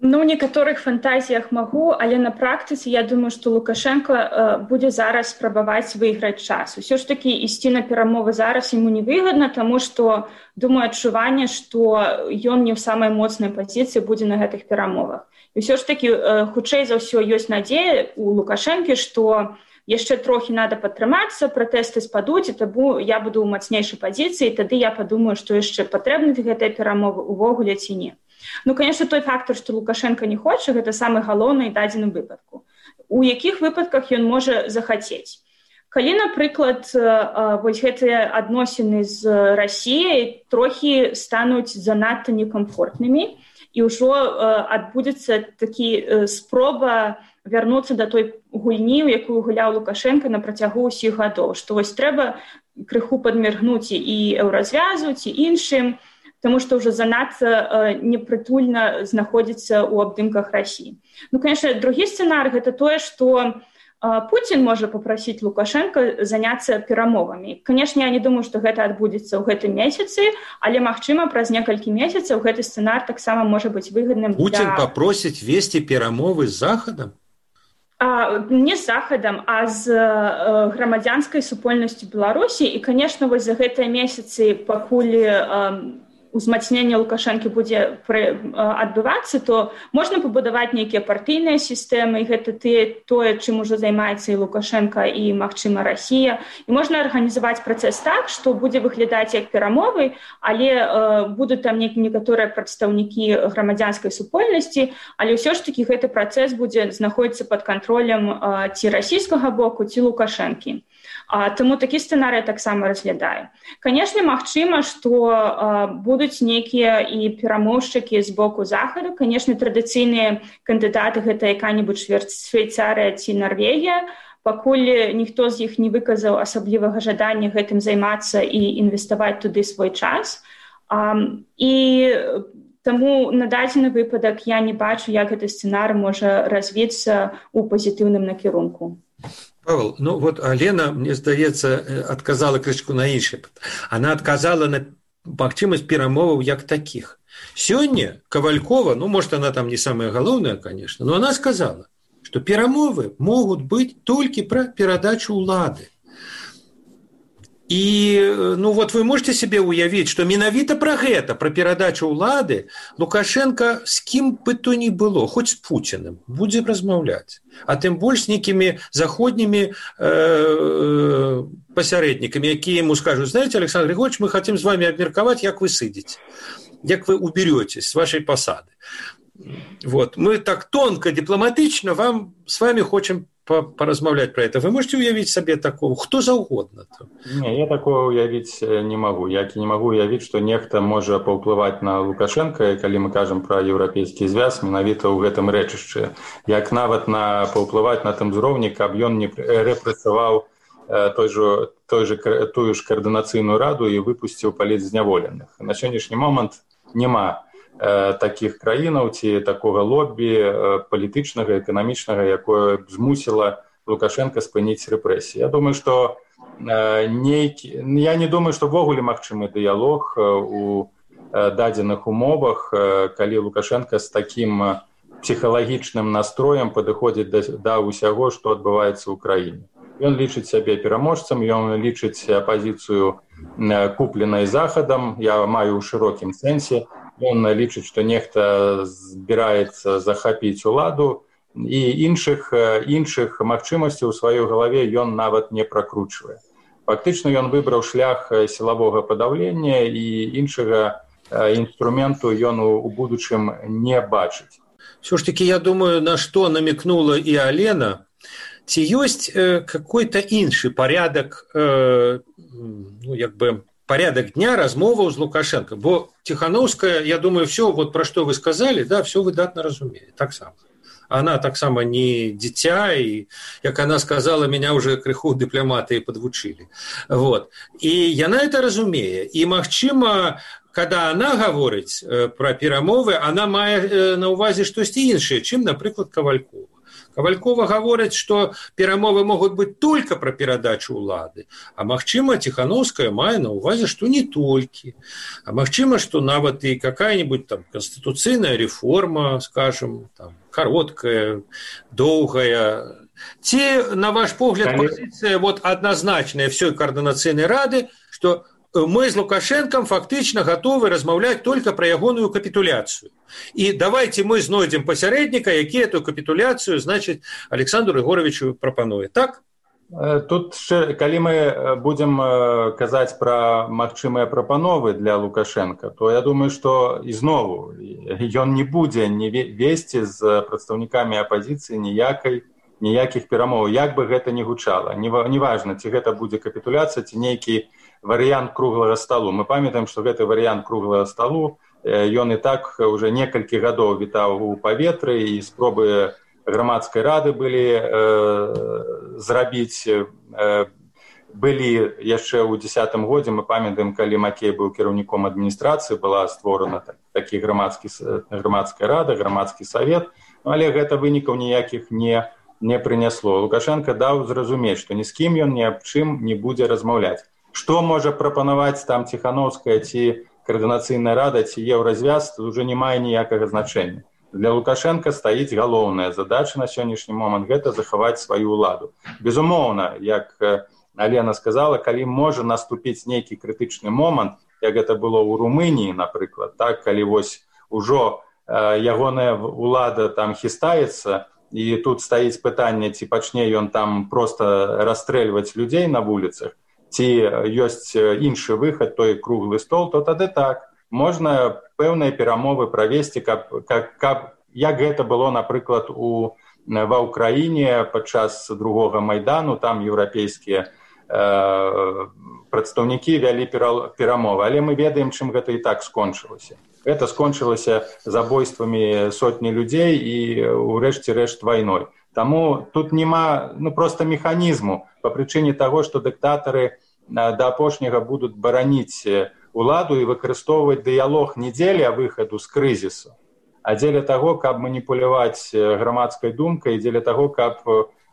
В некаторых фантазіях магу, але на практыцы я думаю, што Лукашенко будзе зараз спрабаваць выйграць час. Усё ж такі ісці на перамовы зараз яму невыгадна, таму што, думаю, адчуванне, што ён не ў самай моцнай пазіцыі будзе на гэтых перамовах. І ўсё ж такі, хутчэй за ўсё, ёсць надзея у Лукашэнкі, што яшчэ трохі надо падтрымацца, пратэсты спадуць, і таму я буду ў мацнейшай пазіцыі, і тады я падумаю, што яшчэ патрэбны гэтыя перамовы увогуле ці не. Конечно, той фактор, што Лукашенко не хоча, гэта самы галоўны дадзены выпадку. У якіх выпадках ён можа захацець? Калі, напрыклад, вось гэтыя адносіны з Расіяй трохі стануць занадта некамфортнымі, і ўжо адбудзецца такі спроба вярнуцца да той гульні, у якую гуляў Лукашенко на працягу ўсіх гадоў, што вось трэба крыху падміргнуць і еўразвязу, ці іншым, потому что уже занадта непрытульна знаходзіцца ў абдымках России. Конечно, другі сцэнарый – гэта тое, што Путин может попросить Лукашенко заняться перамовами. Конечно, я не думаю, что это отбудется в этом месяце, але, магчыма, праз некалькі месяцев этот сценарий так само может быть выгодным. Путин попросит вести перамовы с Заходом? Не з Захадам, а з грамадзянскай супольнасцю Беларусі. І, конечно, вось за гэтыя месяцы, пакуль узмацненне Лукашэнкі будзе адбывацца, то можна пабудаваць нейкія партыйныя сістэмы, і гэта тое, чым ужо займаецца і Лукашенко, і, магчыма, Расія. І можна арганізаваць працэс так, што будзе выглядаць як перамовы, але будуць там некаторыя прадстаўнікі грамадзянскай супольнасці, але ўсё ж такі гэты працэс будзе знаходзіцца пад кантролем ці расійскага боку, ці Лукашэнкі. Таму такі сцэнарый таксама разглядаю. Канешне, магчыма, што будуць нейкія і перамоўшчыкі з боку Захаду. Канешне, традыцыйныя кандыдаты гэта якая-небудзь Швейцарыя ці Нарвегія, пакуль ніхто з іх не выказаў асаблівага жадання гэтым займацца і інвеставаць туды свой час. І таму на дадзены выпадак я не бачу, як гэты сцэнарый можа развіцца ў пазітыўным накірунку. Павел, ну вот Алена, мне здаецца, адказала крышку на іншае. Она адказала на магчымасць перамоваў як такіх. Сёння Ковалькова, ну, может, она там не самая галоўная, конечно, но она сказала, что перамовы могут быть только про перадачу улады. И, ну, вот вы можете себе уявить, что менавіта про гэта, про перадачу улады, Лукашенко с кем бы то ни было, хоть с Путиным, будзе размаўляць. А тым больш с некими заходними посередниками, якія ему скажут: знаете, Александр Григорьевич, мы хотим с вами обмерковать, як вы сидите, як вы уберетесь с вашей посады. Вот. Мы так тонко, дипломатично с вами хотим поразмаўляць про это. Вы можете уявить себе такого? Хто заўгодна? Не, я такого уявить не могу. Я не могу уявить, что нехта можа паўплываць на Лукашенко, калі мы кажам про еўрапейскі звяз, менавіта ў гэтым рэчышчы. Як нават паўплываць на тым узроўні, каб ён не рэпрэсаваў тую ж координацыйную раду і выпусціў палітзняволеных. На сённяшні момант няма такіх краінаў ці такога лоббі палітычнага, эканамічнага, якое б змусіла Лукашенко спыніць рэпрэсіі. Я думаю, што я не думаю, што ввогуле магчымы дыялог у дадзеных умовах, калі Лукашенко з такім псіхалагічным настроем падыходзіць да ўсяго, што адбываецца ў краіне. Ён лічыць сябе пераможцам, ён лічыць апазіцыю купленай Захадам, я маю ў шырокім сэнсе. Он лічыць, што нехта збіраецца захапіць уладу, і іншых магчымасцей у сваёй галаве ён нават не пракручвае. Фактычна ён выбраў шлях сілавога падаўлення, і іншага інструменту ён у будучым не бачыць. Все ж таки, я думаю, на что намекнула и Алена, ці ёсць какой-то іншы порядок, ну, як бы, порядок дня размоваў з Лукашенко. Бо Тихановская, я думаю, все, вот про что вы сказали, да, все выдатно разумеет. Так само. Она так само не дитя, и, как она сказала, меня уже крыху дыпломаты подвучили. Вот. И яна это разумее. И, магчыма, когда она говорит про перамовы, она мае на увазе штосьці іншае, чым, напрыклад, Ковалькова. Ковалькова говорит, что перамовы могут быть только про перадачу улады, а магчыма, Тихановская мае на увазе, что не только. А магчыма, что нават и какая-нибудь там конституцыйная реформа, скажем, там, короткая, долгая. Те, на ваш погляд, позиция вот однозначная всей координационной рады, что мы с Лукашенком фактично готовы размаўляць только про ягоную капитуляцию. И давайте мы знойдем посередника, які эту капитуляцию, значит, Александру Егоровичу прапануе. Так? Тут, калі мы будем казаць про магчымыя прапановы для Лукашенко, то я думаю, что ізнову ён не будзе весці з прадстаўнікамі апозіцыі ніякіх перамоў, як бы гэта ни гучала. Неважно, ці гэта будзе капитуляцыя, ці нейкі варыянт круглага сталу. Мы памятаем, што гэты варыянт круглага сталу, ён і так уже некалькі гадоў вітаў у паветры, і спробы грамадскай рады былі зрабіць, былі яшчэ ў 2010 годзе. Мы памятаем, калі Макей быў кіраўніком адміністрацыі, была створана грамадская рада, грамадскі савет, але гэта вынікаў ніякіх не не прынясло. Лукашенко даў зразумець, што ні з кім ён ні аб чым не будзе размаўляць. Што можа прапанаваць там Ціхановская ці Координацыйная рада ці Еўразвяз, тут уже не мае ніякага значэння. Для Лукашенко стаіць галоўная задача на сённяшні момант – гэта захаваць сваю ўладу. Безумоўна, як Алена сказала, калі можа наступіць нейкі крытычны момант, як гэта было ў Румыніі, напрыклад, так, калі вось ужо ягоная ўлада там хістаецца, і тут стаіць пытанне, ці пачне ён там проста расстрэльваць людзей на вуліцах, ці ёсць іншы выхад, той круглы стол, то тады так. Можна пэўныя перамовы правесці, як гэта было, напрыклад, ва ўкраіне падчас другога Майдану, там еўрапейскія прадстаўнікі вялі перамовы. Але мы ведаем, чым гэта і так скончылася. Гэта скончылася забойствамі сотні людзей і, урэшце рэшт, вайной. Таму тут няма проста механізму па прычыне таго, што дыктатары да апошняга будуць бараніць уладу і выкарыстоўваць дыялог не дзеля выхаду з крызісу, а дзеля таго, каб маніпуляваць грамадскай думкай, дзеля таго, каб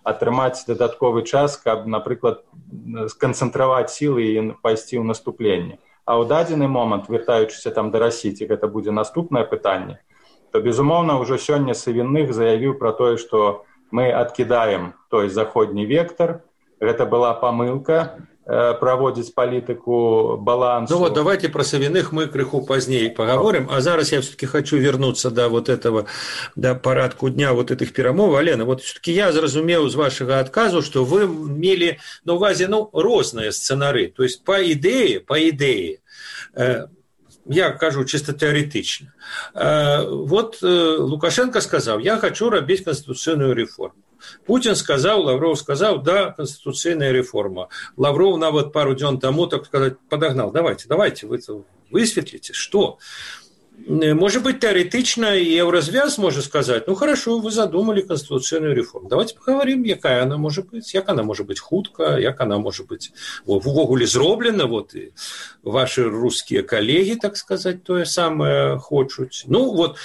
атрымаць дадатковы час, каб, напрыклад, сканцэнтраваць сілы і пайсці ў наступленне. А ў дадзены момант, вяртаючыся там да Расіі, гэта будзе наступнае пытанне, то, безумоўна, ўжо сёння Савінных заявіў пра тое, што мы адкідаем той заходні вектар, гэта была памылка, проводить политику баланса. Ну вот давайте про Савиных мы крыху позднее поговорим, а зараз я все-таки хочу вернуться до вот этого, до парадку дня вот этих перамов. Алена, вот все-таки я зразумеў з вашего отказу, что вы мели на увазе, розныя сцэнары, то есть по идее, я кажу чисто теоретично. Вот Лукашенко сказал, я хочу робить конституционную реформу. Путин сказал, Лавров сказал, да, конституционная реформа. Лавров нават пару дзён тому, так сказать, подогнал. Давайте, вы высветлите, что? Может быть, теоретично и Евразвяз может сказать, хорошо, вы задумали конституционную реформу. Давайте поговорим, якая она может быть, як она может быть хутка, як она может быть увогуле зроблена, вот и ваши русские коллеги, так сказать, то самое хочуць.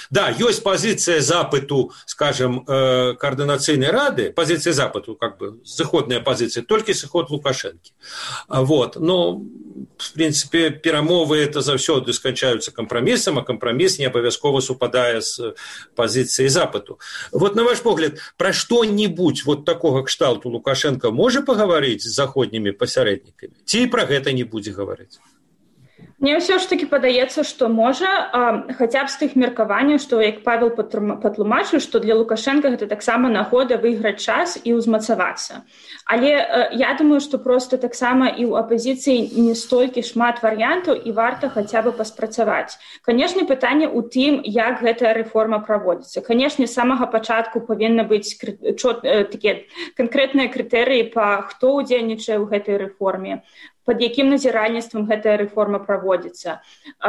Да, есть позиция запыту, скажем, Координацыйнай рады, позиция запыту, как бы, сыходная позиция, только сыход Лукашенко. Но, в принципе, перамовы это заўсёды сканчаюцца компромиссом, а компромисс не абавязкова супадае з пазіцыяй запыту. Вот на ваш погляд, пра што-нибудь вот такога кшталту Лукашенко можа пагаварыць з заходнімі пасярэднікамі? Ці пра гэта не будзе гаварыць? Мне ўсё ж таки падаецца, што можа, хаця б з тых меркаванняў, што, як Павел патлумачыў, што для Лукашенка гэта таксама нагода выйграць час і ўзмацавацца. Але я думаю, што проста таксама і ў апазіцыі не столькі шмат варыянтаў і варта хаця бы паспрацаваць. Канешне, пытанне ў тым, як гэтая рэформа праводзіцца. Канешне, з самага пачатку павінны быць такія канкрэтныя крытэрыі па хто ўдзельнічае ў гэтай рэформе, под якім назіральніцтвам гэтая рэформа праводзіцца,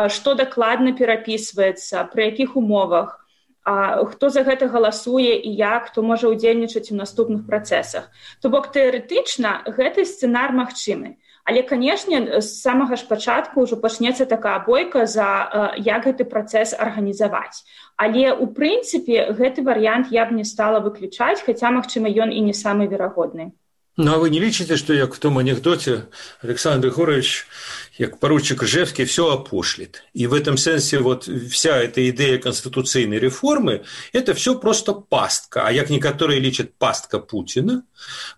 што дакладна перапісваецца, пры якіх умовах, хто за гэта галасуе і як, хто можа ўдзельнічаць у наступных працэсах. То бок тэарэтычна гэты сцэнар магчымы. Але, канешне, з самага ж пачатку ўжо пачнецца такая бойка за як гэты працэс арганізаваць. Але, у прынцыпе, гэты варыянт я б не стала выключаць, хаця, магчыма, ён і не самы верагодны. А вы не лічыце, што як в том анекдоте Александр Григорьевич, як поручик Ижевский, все опошлит. И в этом сенсе вот вся эта идея конституционной реформы – это все просто пастка. А як некоторые лічат пастка Путина,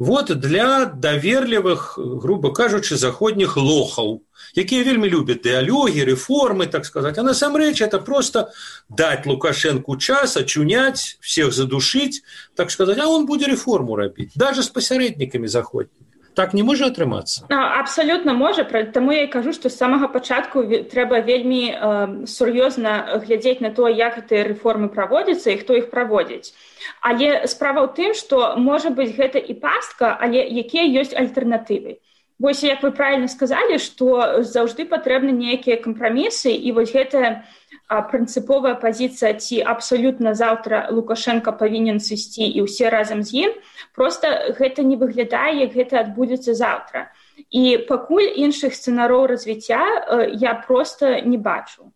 вот для доверливых, грубо кажучи, заходних лохов, якія вельмі любят диалоги, реформы, так сказать. А насамрэч это просто дать Лукашенку час, очунять, всех задушить, так сказать, а он будет реформу робить, даже с посередниками заходними. Так не можа атрымацца? Абсалютна можа, таму я і кажу, што з самага пачатку трэба вельмі сур'ёзна глядзець на то, як гэтыя рэформы праводзяцца і хто іх праводзіць. Але справа ў тым, што можа быць гэта і пастка, але якія ёсць альтэрнатывы. Вось, як вы правильно сказалі, што заўжды патрэбны нейкія кампрамісы, і вось гэтая прынцыповая пазіцыя, ці абсалютна заўтра Лукашенко павінен сысці і ўсе разам з ім, проста гэта не выглядае, як гэта адбудзецца заўтра. І пакуль іншых сцэнароў развіцця я проста не бачу.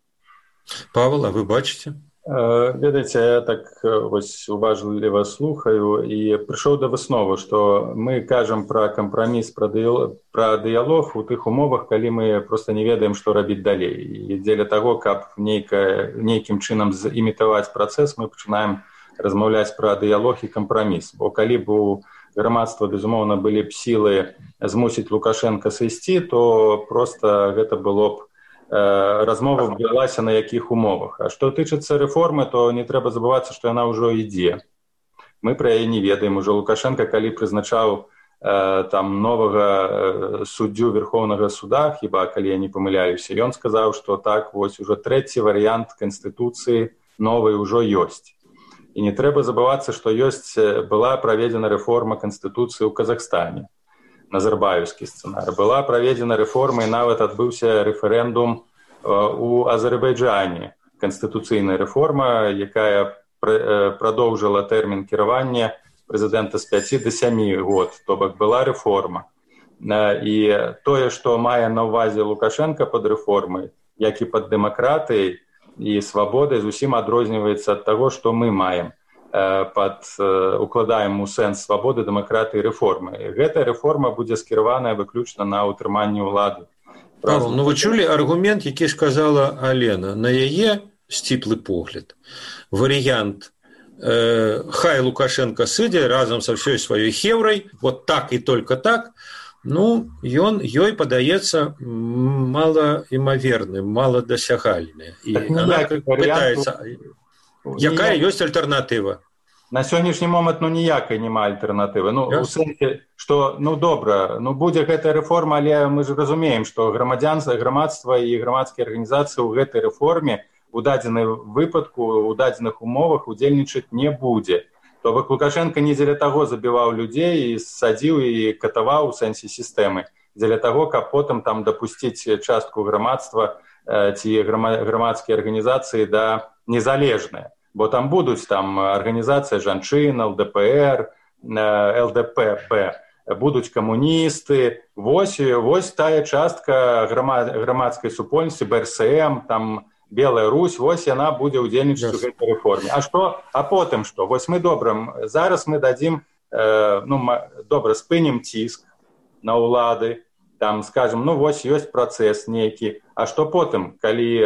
Павел, а вы бачыце? Ведаеце, я так вось уважліва слухаю і прыйшоў да высновы, што мы кажам пра кампраміс, пра дыялог у тых умовах, калі мы проста не ведаем, што рабіць далей. І дзеля таго, каб нейкім чынам імітаваць працэс, мы пачынаем размаўляць пра дыялог і кампраміс. Бо калі б у грамадства, безумоўна, былі б сілы змусіць Лукашенка сысці, то проста гэта было б размова ввялася на якіх умовах. А што тычыцца рэформы, то не трэба забывацца, што яна ўжо ідзе. Мы пра яе не ведаем. Ужо Лукашенка, калі прызначаў там новага суддзю Верховнага суда, хіба калі я не памыляюся, ён сказаў, што так, вось ужо трэці варыянт Канстытуцыі новай ужо ёсць. І не трэба забывацца, што была праведзена рэформа Канстытуцыі ў Казахстане. Назарбаевскі сцэнар. Была праведзена рэформа і нават адбыўся рэферэндум у Азербайджане. Канстытуцыйная рэформа, якая прадоўжыла тэрмін кіравання прэзідэнта з 5 до 7 год. То бок была рэформа. І тое, што мае на ўвазе Лукашенка пад рэформай, як і пад дэмакратыяй і свабодай, зусім адрозніваецца ад таго, што мы маем. Укладаем у сэнс свабоды, дэмакратыі, рэформы. Гэтая рэформа будзе скіраваная выключна на ўтрыманне ўлады. Павел, ну вы чулі аргумент, які сказала Алена. На яе сціплы погляд. Варыянт хай Лукашенко сыдзе разам са ўсёй сваёй хеўрай, вот так і только так, ну, ёй падаецца малаімаверным, маладасягальны. І она пытаецца... Якая ёсць альтэрнатыва? На сённяшні момант ніякай няма альтэрнатывы. У сэнсе, што добра, будзе гэтая рэформа, але мы ж разумеем, што грамадства і грамадскія арганізацыі ў гэтай рэформе у дадзеным выпадку, у дадзеных умовах удзельнічаць не будзе. То бок Лукашенко не дзеля таго забіваў людзей і садзіў і катаваў у сэнсе сістэмы, дзеля таго, каб потым там дапусціць частку грамадства ці грамадскія арганізацыі да незалежныя. Бо там будуць арганізацыя жанчын, ЛДПР, ЛДПБ, будуць камуністы. Вось тая частка грамадскай супольнасці, БРСМ, там Белая Русь, вось яна будзе ўдзельнічаць у гэтай рэформе. А потым што? Вось мы зараз мы дадзім, спынім ціск на ўлады, там скажем, вось ёсць працэс нейкі, а што потым, калі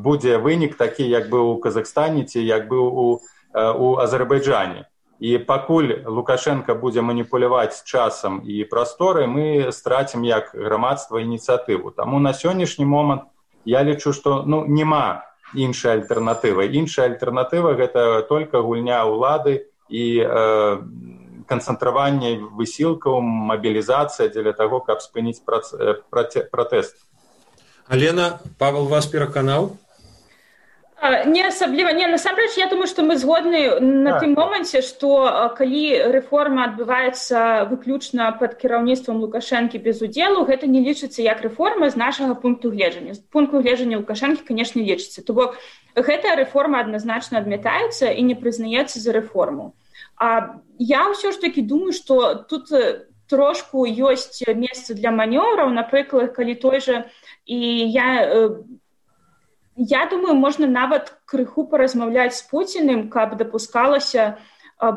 будзе вынік такі, як быў у Казахстане ці як быў у Азербайджане. І пакуль Лукашенко будзе маніпуляваць часам і прасторай, мы страцім як грамадства ініцыятыву. Таму на сённяшні момант я лічу, што няма іншай альтэрнатывы. Іншая альтэрнатыва гэта толькі гульня ўлады і канцэнтраванне высілкаў, мабілізацыя дзеля таго, каб спыніць пратэст. Алена, Павел вас пераканаў? Не асабліва. Насамрэч, я думаю, што мы згодны на тым моманце, што калі рэформа адбываецца выключна пад кіраўніцтвам Лукашэнкі без удзелу, гэта не лічыцца як рэформа з нашага пункту гледжання. З пункту гледжання Лукашэнкі, канешне, лічыцца. То бок, гэтая рэформа адназначна адмятаецца і не прызнаецца за рэформу. Я ўсё ж такі думаю, што тут трошку ёсць месца для манёвраў, напрыклад, калі той жа, і я думаю, можна нават крыху паразмаўляць з Пуціным, каб дапускалася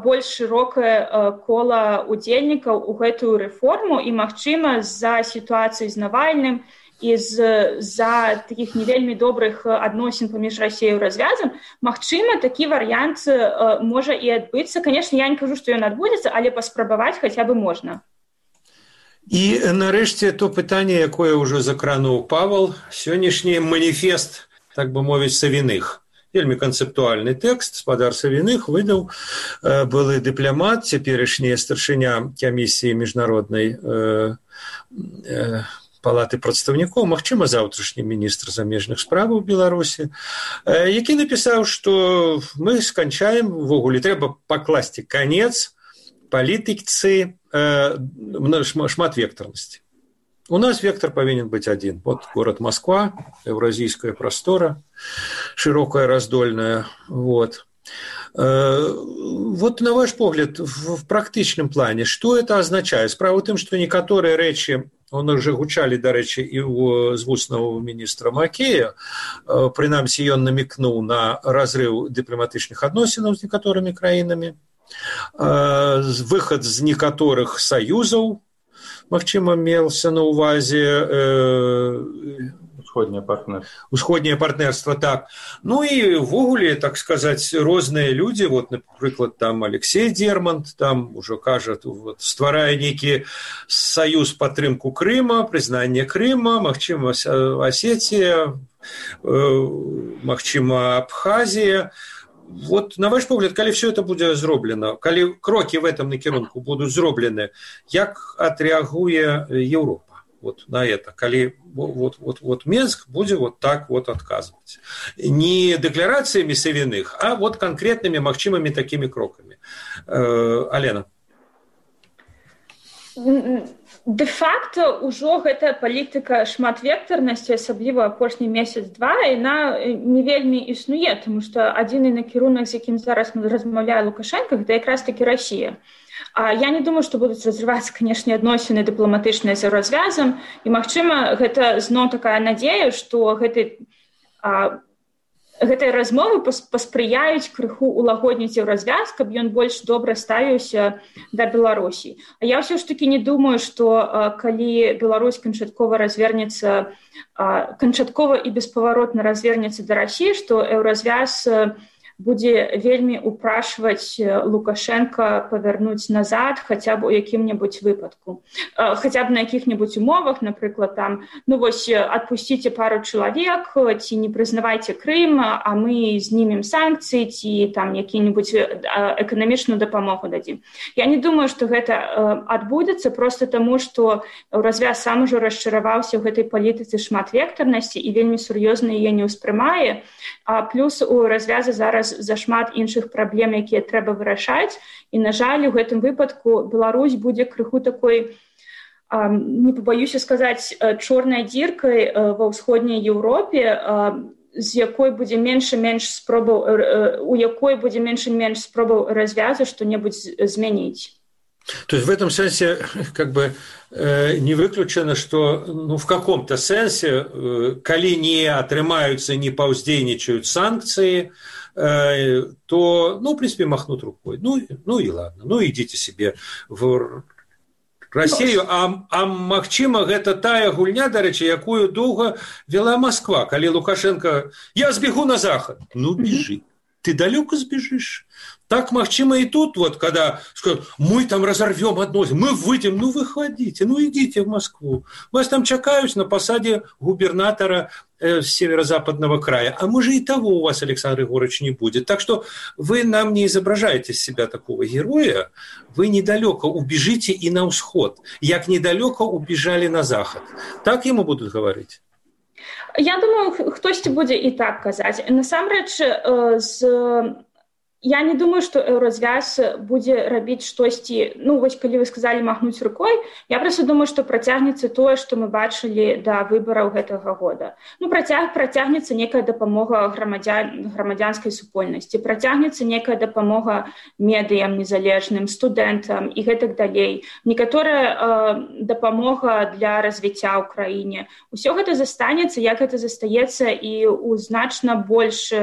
больш шырокае кола удзельнікаў у гэтую рэформу, і, магчыма, з-за сітуацыі з Навальным і з-за такіх не вельмі добрых адносін паміж Расіяй і развязам, магчыма, такі варыянт можа і адбыцца. Канешне, я не кажу, што ён адбудзецца, але паспрабаваць хаця бы можна. І, нарэшце, то пытанне, якое ўжо закрануў Павел, сённяшні маніфест, так бы мовіць, Савіных. Вельмі канцэптуальны тэкст спадар Савіных выдаў былы дыпламат, цяперашні старшыня камісіі міжнароднай палаты прадстаўнікоў, магчыма, заўтрашні міністр замежных справаў Беларусі, які напісаў, што мы сканчаем, увогуле трэба пакласці канец палітыцы шматвектарнасці. У нас вектор павінен быць адзін. Вот город Москва, еўразійская прастора, шырокая, раздольная. Вот, на ваш погляд, в практычным плане, што это означае? Справа ў тым, што некаторыя рэчы он уже гучалі, дарэчы, і з вуснаў міністра Макея. Прынамсі, ён намекнуў на разрыв дыпламатычных адносінаў з некаторымі краінамі, выхад з некаторых саюзаў, магчыма, мелся на ўвазе усходняе партнерство, так. Ну і ввогуле, так сказаць, розныя людзі, вот, напрыклад, там Алексей Дермант, там ужо кажа, вот, стварае нейкі саюз падтрымку Крыма, прызнанне Крыма, магчыма, Асетія, магчыма, Абхазія. Вот, на ваш погляд, калі все это будзе зроблена, калі крокі в этом накірунку будуць зроблены, як адрэагуе Еўропа вот на это, калі вот Минск будзе вот так вот адказваць? Не дэкларацыямі Савіных, а вот конкретнымі магчымымі такімі крокамі. Алена. Де-факто ўжо гэта палітыка шматвектарнасці, асабліва апошні месяц-два, яна не вельмі існуе, тому што адзіны накірунак, з якім зараз размаўляе Лукашенко, гэта якраз такі Расія. Я не думаю, што будуць разрывацца, канешне, адносіны дыпламатычныя за развязам, і, магчыма, гэта зноў такая надзея, што гэтай размовы паспрыяюць крыху улагодніць развяз, каб ён больш добра ставіўся да Беларусі. А я ўсё ж такі не думаю, што калі Беларусь канчаткова і беспаваротна развернецца да Расіі, што еўразвяз будзе вельмі упрашваць Лукашенко павярнуць назад хаця б у якім-небудзь выпадку. Хаця б на якіх-небудзь умовах, напрыклад, там, ну вось, адпусціце пару чалавек, ці не прызнавайце Крым, а мы знімем санкцыі, ці там які-небудзь эканамічную дапамогу дадзім. Я не думаю, што гэта адбудзецца проста таму, што развяз сам ужо расчараваўся ў гэтай палітыцы шматвектарнасці і вельмі сур'ёзна яе не ўспрымае, а плюс у развяза зараз зашмат іншых праблем, якія трэба вырашаць, і, на жаль, у гэтым выпадку Беларусь будзе крыху такой, не пабаюся сказаць, чорнай дзіркай ва ўсходняй Еўропе, з якой будзе менш і менш спробаў, у якой будзе менш і менш спробаў развязу што-небудзь змяніць. То есть в этом сенсе как бы не выключено, что ну, в каком-то сенсе, коли не отрымаются, не паўздзейнічаюць санкции, то, ну, в принципе, махнут рукой. Ну и ладно, ну идите себе в Россию. А магчыма, гэта тая гульня, дарэчы, якую доўга вела Москва, калі Лукашенко: я сбегу на Захад. Ну, бежи. Ты далеко сбежишь. Так, магчыма, и тут, вот, когда скажут: мы там разорвем относины, мы выйдем, ну, выходите, ну, идите в Москву. Вас там чакаюць на посаде губернатора северо-западного края. А может, и того у вас, Александр Егорович, не будет. Так что вы нам не изображаете себя такого героя, вы недалеко убежите и на усход, як недалеко убежали на заход. Так ему будут говорить? Я думаю, хтосьці будзе і так казаць. Насамрэч, я не думаю, што еўразвяз будзе рабіць штосьці, ну, вось калі вы сказалі махнуць рукой, я проста думаю, што працягнецца тое, што мы бачылі да выбараў гэтага года. Ну, працягнецца некая дапамога грамадзянскай супольнасці, працягнецца некая дапамога медыям незалежным, студэнтам і гэтак далей. Некаторая дапамога для развіцця ў краіне. Усё гэта застанецца, як гэта застаецца і ў значна больш,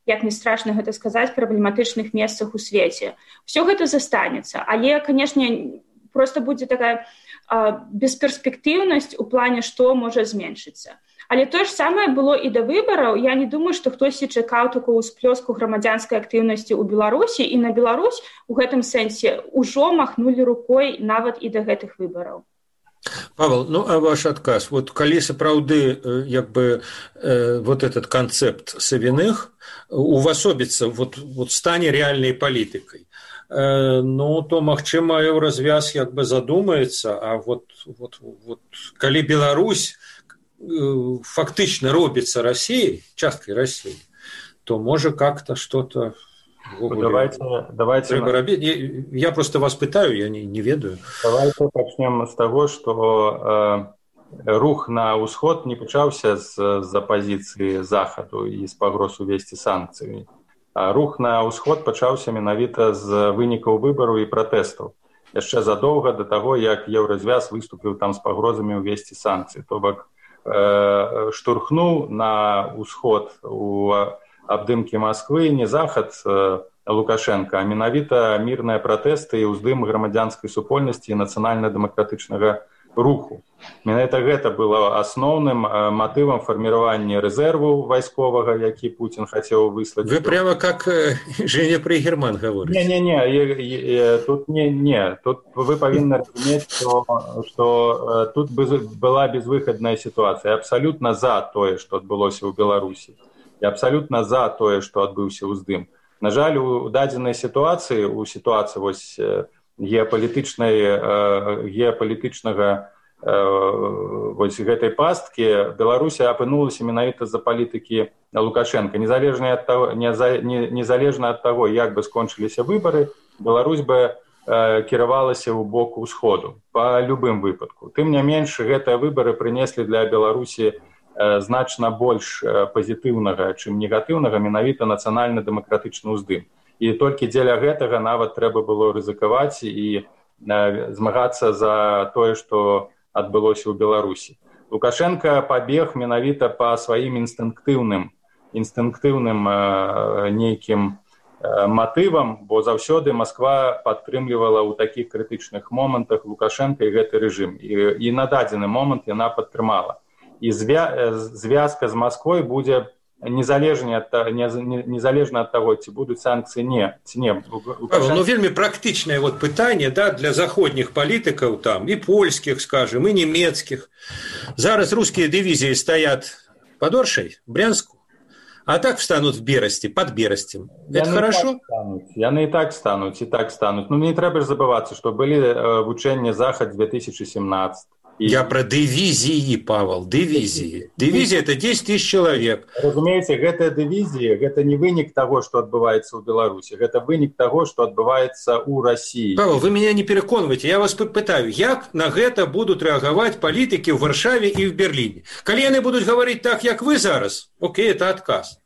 як не страшна гэта сказаць, праблематычных месцах у свеце. Усё гэта застанецца, але, канешне, проста будзе такая бесперспектыўнасць у плане, што можа зменшыцца. Але тое ж самае было і да выбараў. Я не думаю, што хтосьці чакаў такую ўсплёску грамадзянскай актыўнасці ў Беларусі, і на Беларусь у гэтым сэнсе ўжо махнулі рукой нават і да гэтых выбараў. Павел, ну а ваш адказ, вот калі сапраўды як бы вот этот концепт Савіных увасобіцца, вот стане реальной палітыкай, ну то магчыма еўразвяз як бы задумаецца, а вот калі Беларусь фактычна робіцца Россией, часткой России, то можа как-то что-то давайте. Я просто вас пытаю, я не ведаю. Давайте начнем с того, что рух на ўсход не пачаўся з апозіцыі Захаду і з пагроз увесці санкцыі. А рух на ўсход пачаўся менавіта з вынікаў выбараў і пратэстаў. яшчэ задоўга да таго, як Еўразвяз выступіў там з пагрозамі ўвесці санкцыі. То бок штурхнуў на ўсход у абдымкі Масквы не захад Лукашенко, а менавіта мірныя пратэсты і ўздым грамадзянскай супольнасці і нацыянальна-дэмакратычнага руху. Менавіта гэта было асноўным матывам фарміравання рэзерву вайсковага, які Путін хацеў выслаць. Вы прямо как Женя Пригерман говорите. Не, тут не. Тут вы павінны разумець, што тут была безвыхадная сітуацыя. Я абсалютна за тое, што адбылося ў Беларусі. Я абсалютна за тое, што адбыўся ўздым. На жаль, у дадзенай сітуацыі, у сітуацыі вось геапалітычнага вось гэтай пасткі Беларусі апынулася менавіта з-за палітыкі Лукашенка. Незалежна ад таго, як бы скончыліся выбары, Беларусь бы кіравалася ў бок усходу па любым выпадку. Тым не менш, гэтыя выбары прынеслі для Беларусі значна больш пазітыўнага, чым негатыўнага, менавіта нацыянальна-дэмакратычны ўздым. І толькі дзеля гэтага нават трэба было рызыкаваць і змагацца за тое, што адбылося ў Беларусі. Лукашенко пабег менавіта па сваім інстынктыўным нейкім матывам, бо заўсёды Масква падтрымлівала ў такіх крытычных момантах Лукашенко і гэты рэжым. І на дадзены момант яна падтрымала. І звязка з Масквой будзе незалежна ад таго, ці будуць санкцыі, ці не. Ну, вельмі практычнае вот пытанне, да, для заходніх палітыкаў там, і польскіх, скажем, і нямецкіх. Зараз рускія дывізіі стаят под Оршей, Брянску, а так встанут в Берасці, под Берасцем. Это хорошо? Яны і так стануць. Ну, не трэба ж забывацца, што былі вучэнні Захад 2017. Я про дивизии, Павел, дивизии. Дивизия – это 10 тысяч человек. Разумеется, гэтая дивизия – это не вынік того, что отбывается в Беларуси. Это вынік того, что отбывается у России. Павел, вы меня не переконываете. Я вас пытаю, как на гэта будут реагировать политики в Варшаве и в Берлине? Коли они будут говорить так, как вы зараз, окей, это отказ.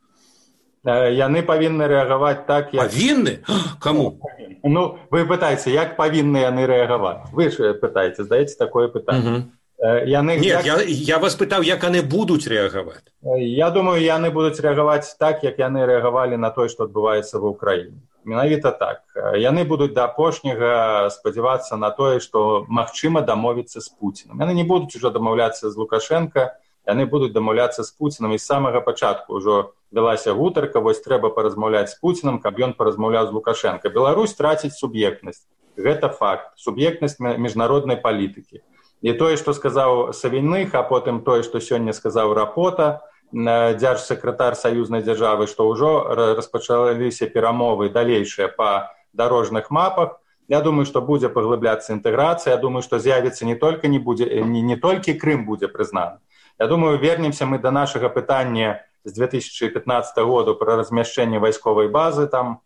Яны павінны рэагаваць так, як... Павінны? Каму? Ну, вы пытаеце, як павінны яны рэагаваць? Вы ж пытаеце, задаеце такое пытанне. Нет, я вас пытаў, як яны будуць рэагаваць. Я думаю, яны будуць рэагаваць так, як яны рэагавалі на тое, што адбываецца ва ўкраіне. Менавіта так. Яны будуць да апошняга спадзявацца на тое, што магчыма дамовіцца з Пуціным. Яны не будуць ужо дамаўляцца з Лукашенко, яны будуць дамаўляцца з Пуціным, і з самага пачатку ўжо велася гутарка, вось трэба паразмаўляць з Пуціным, каб ён паразмаўляў з Лукашенко. Беларусь траціць суб'ектнасць. Гэта факт. Суб'ектнасць міжнароднай палітыкі. І тое, што сказаў Савіных, а потым тое, што сёння сказаў Рапота, дзяржсакратар саюзнай дзяржавы, што ўжо распачаліся перамовы далейшыя па дарожных мапах. Я думаю, што будзе паглыбляцца інтэграцыя. Я думаю, што з'явіцца не толькі Крым будзе прызнаны. Я думаю, вернемся мы до нашага пытання з 2015 года пра размяшчэнне вайсковай базы там.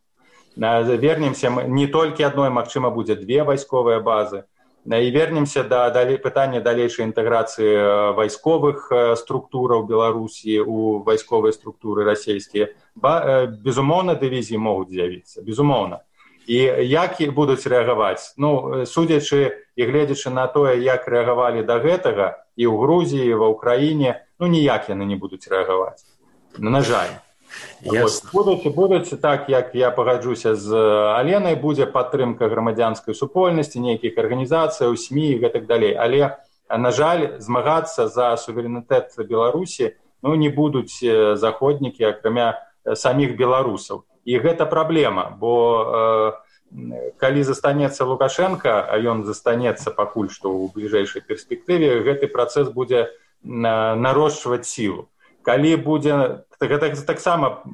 Вернемся мы не толькі адной, магчыма, будзе 2 вайсковыя базы. І вернемся да пытання далейшай інтэграцыі вайсковых структураў Беларусі у вайсковыя структуры расійскія. Безумоўна, дывізіі могуць з'явіцца, безумоўна. І як будуць рэагаваць? Ну, судзячы і гледзячы на тое, як рэагавалі да гэтага і ў Грузіі, і ва ўкраіне, ну, ніяк яны не будуць рэагаваць. На жаль. Будуць так, як я пагаджуся з Аленай, будзе падтрымка грамадзянскай супольнасці, нейкіх арганізацыяў, СМІ і гэтак далей. Але, на жаль, змагацца за суверэнітэт Беларусі, ну, не будуць заходнікі, акрамя саміх беларусаў. І гэта праблема, бо калі застанецца Лукашенко, а ён застанецца пакуль што ў бліжэйшай перспектыве, гэты працэс будзе нарошчваць сілу. Калі будзе, гэта таксама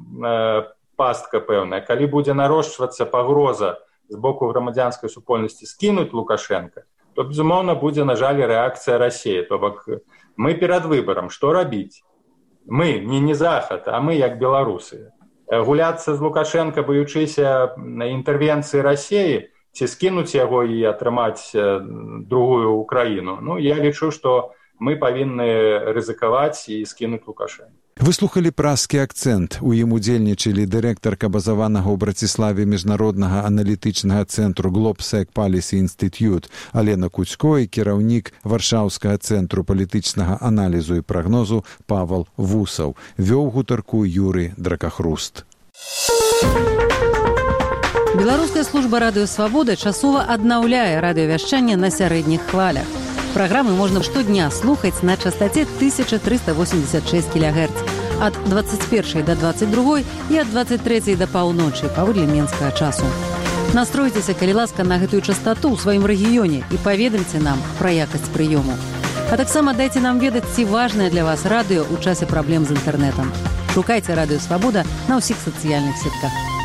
пастка пэўная, калі будзе нарошчвацца пагроза з боку грамадзянскай супольнасці скінуць Лукашенко, то, безумоўна, будзе, на жаль, рэакцыя Расіі. То бок мы перад выбарам, што рабіць? Мы, не Захад, а мы як беларусы. Гуляцца з Лукашенко, баючыся інтэрвенцыі Расіі, ці скінуць яго і атрымаць другую Украіну. Ну, я лічу, што мы павінны рызыкаваць і скінуць Лукашенко. Выслухалі празкі акцэнт. У ім удзельнічалі дырэктарка базаванага ў Браціславе міжнароднага аналітычнага цэнтру Globsec Policy Institute Алена Куцько і кіраўнік Варшаўскага цэнтру палітычнага аналізу і прагнозу Павал Вусаў. Вёў гутарку Юрый Дракахруст. Беларуская служба радыё «Свабода» часова аднаўляе радыёвяшчанне на сярэдніх хвалях. Праграмы можна штодня слухаць на частоце 1386 кГц ад 21 до 22 і ад 23 до паўночы паводле менскага часу. Настройцеся, калі ласка, на гэтую частоту ў сваім рэгіёне і паведамце нам пра якасць прыёму. А таксама дайце нам ведаць, ці важнае для вас радыё ў часе праблем з інтэрнэтам. Шукайце радыё «Свабода» на ўсіх сацыяльных сетках.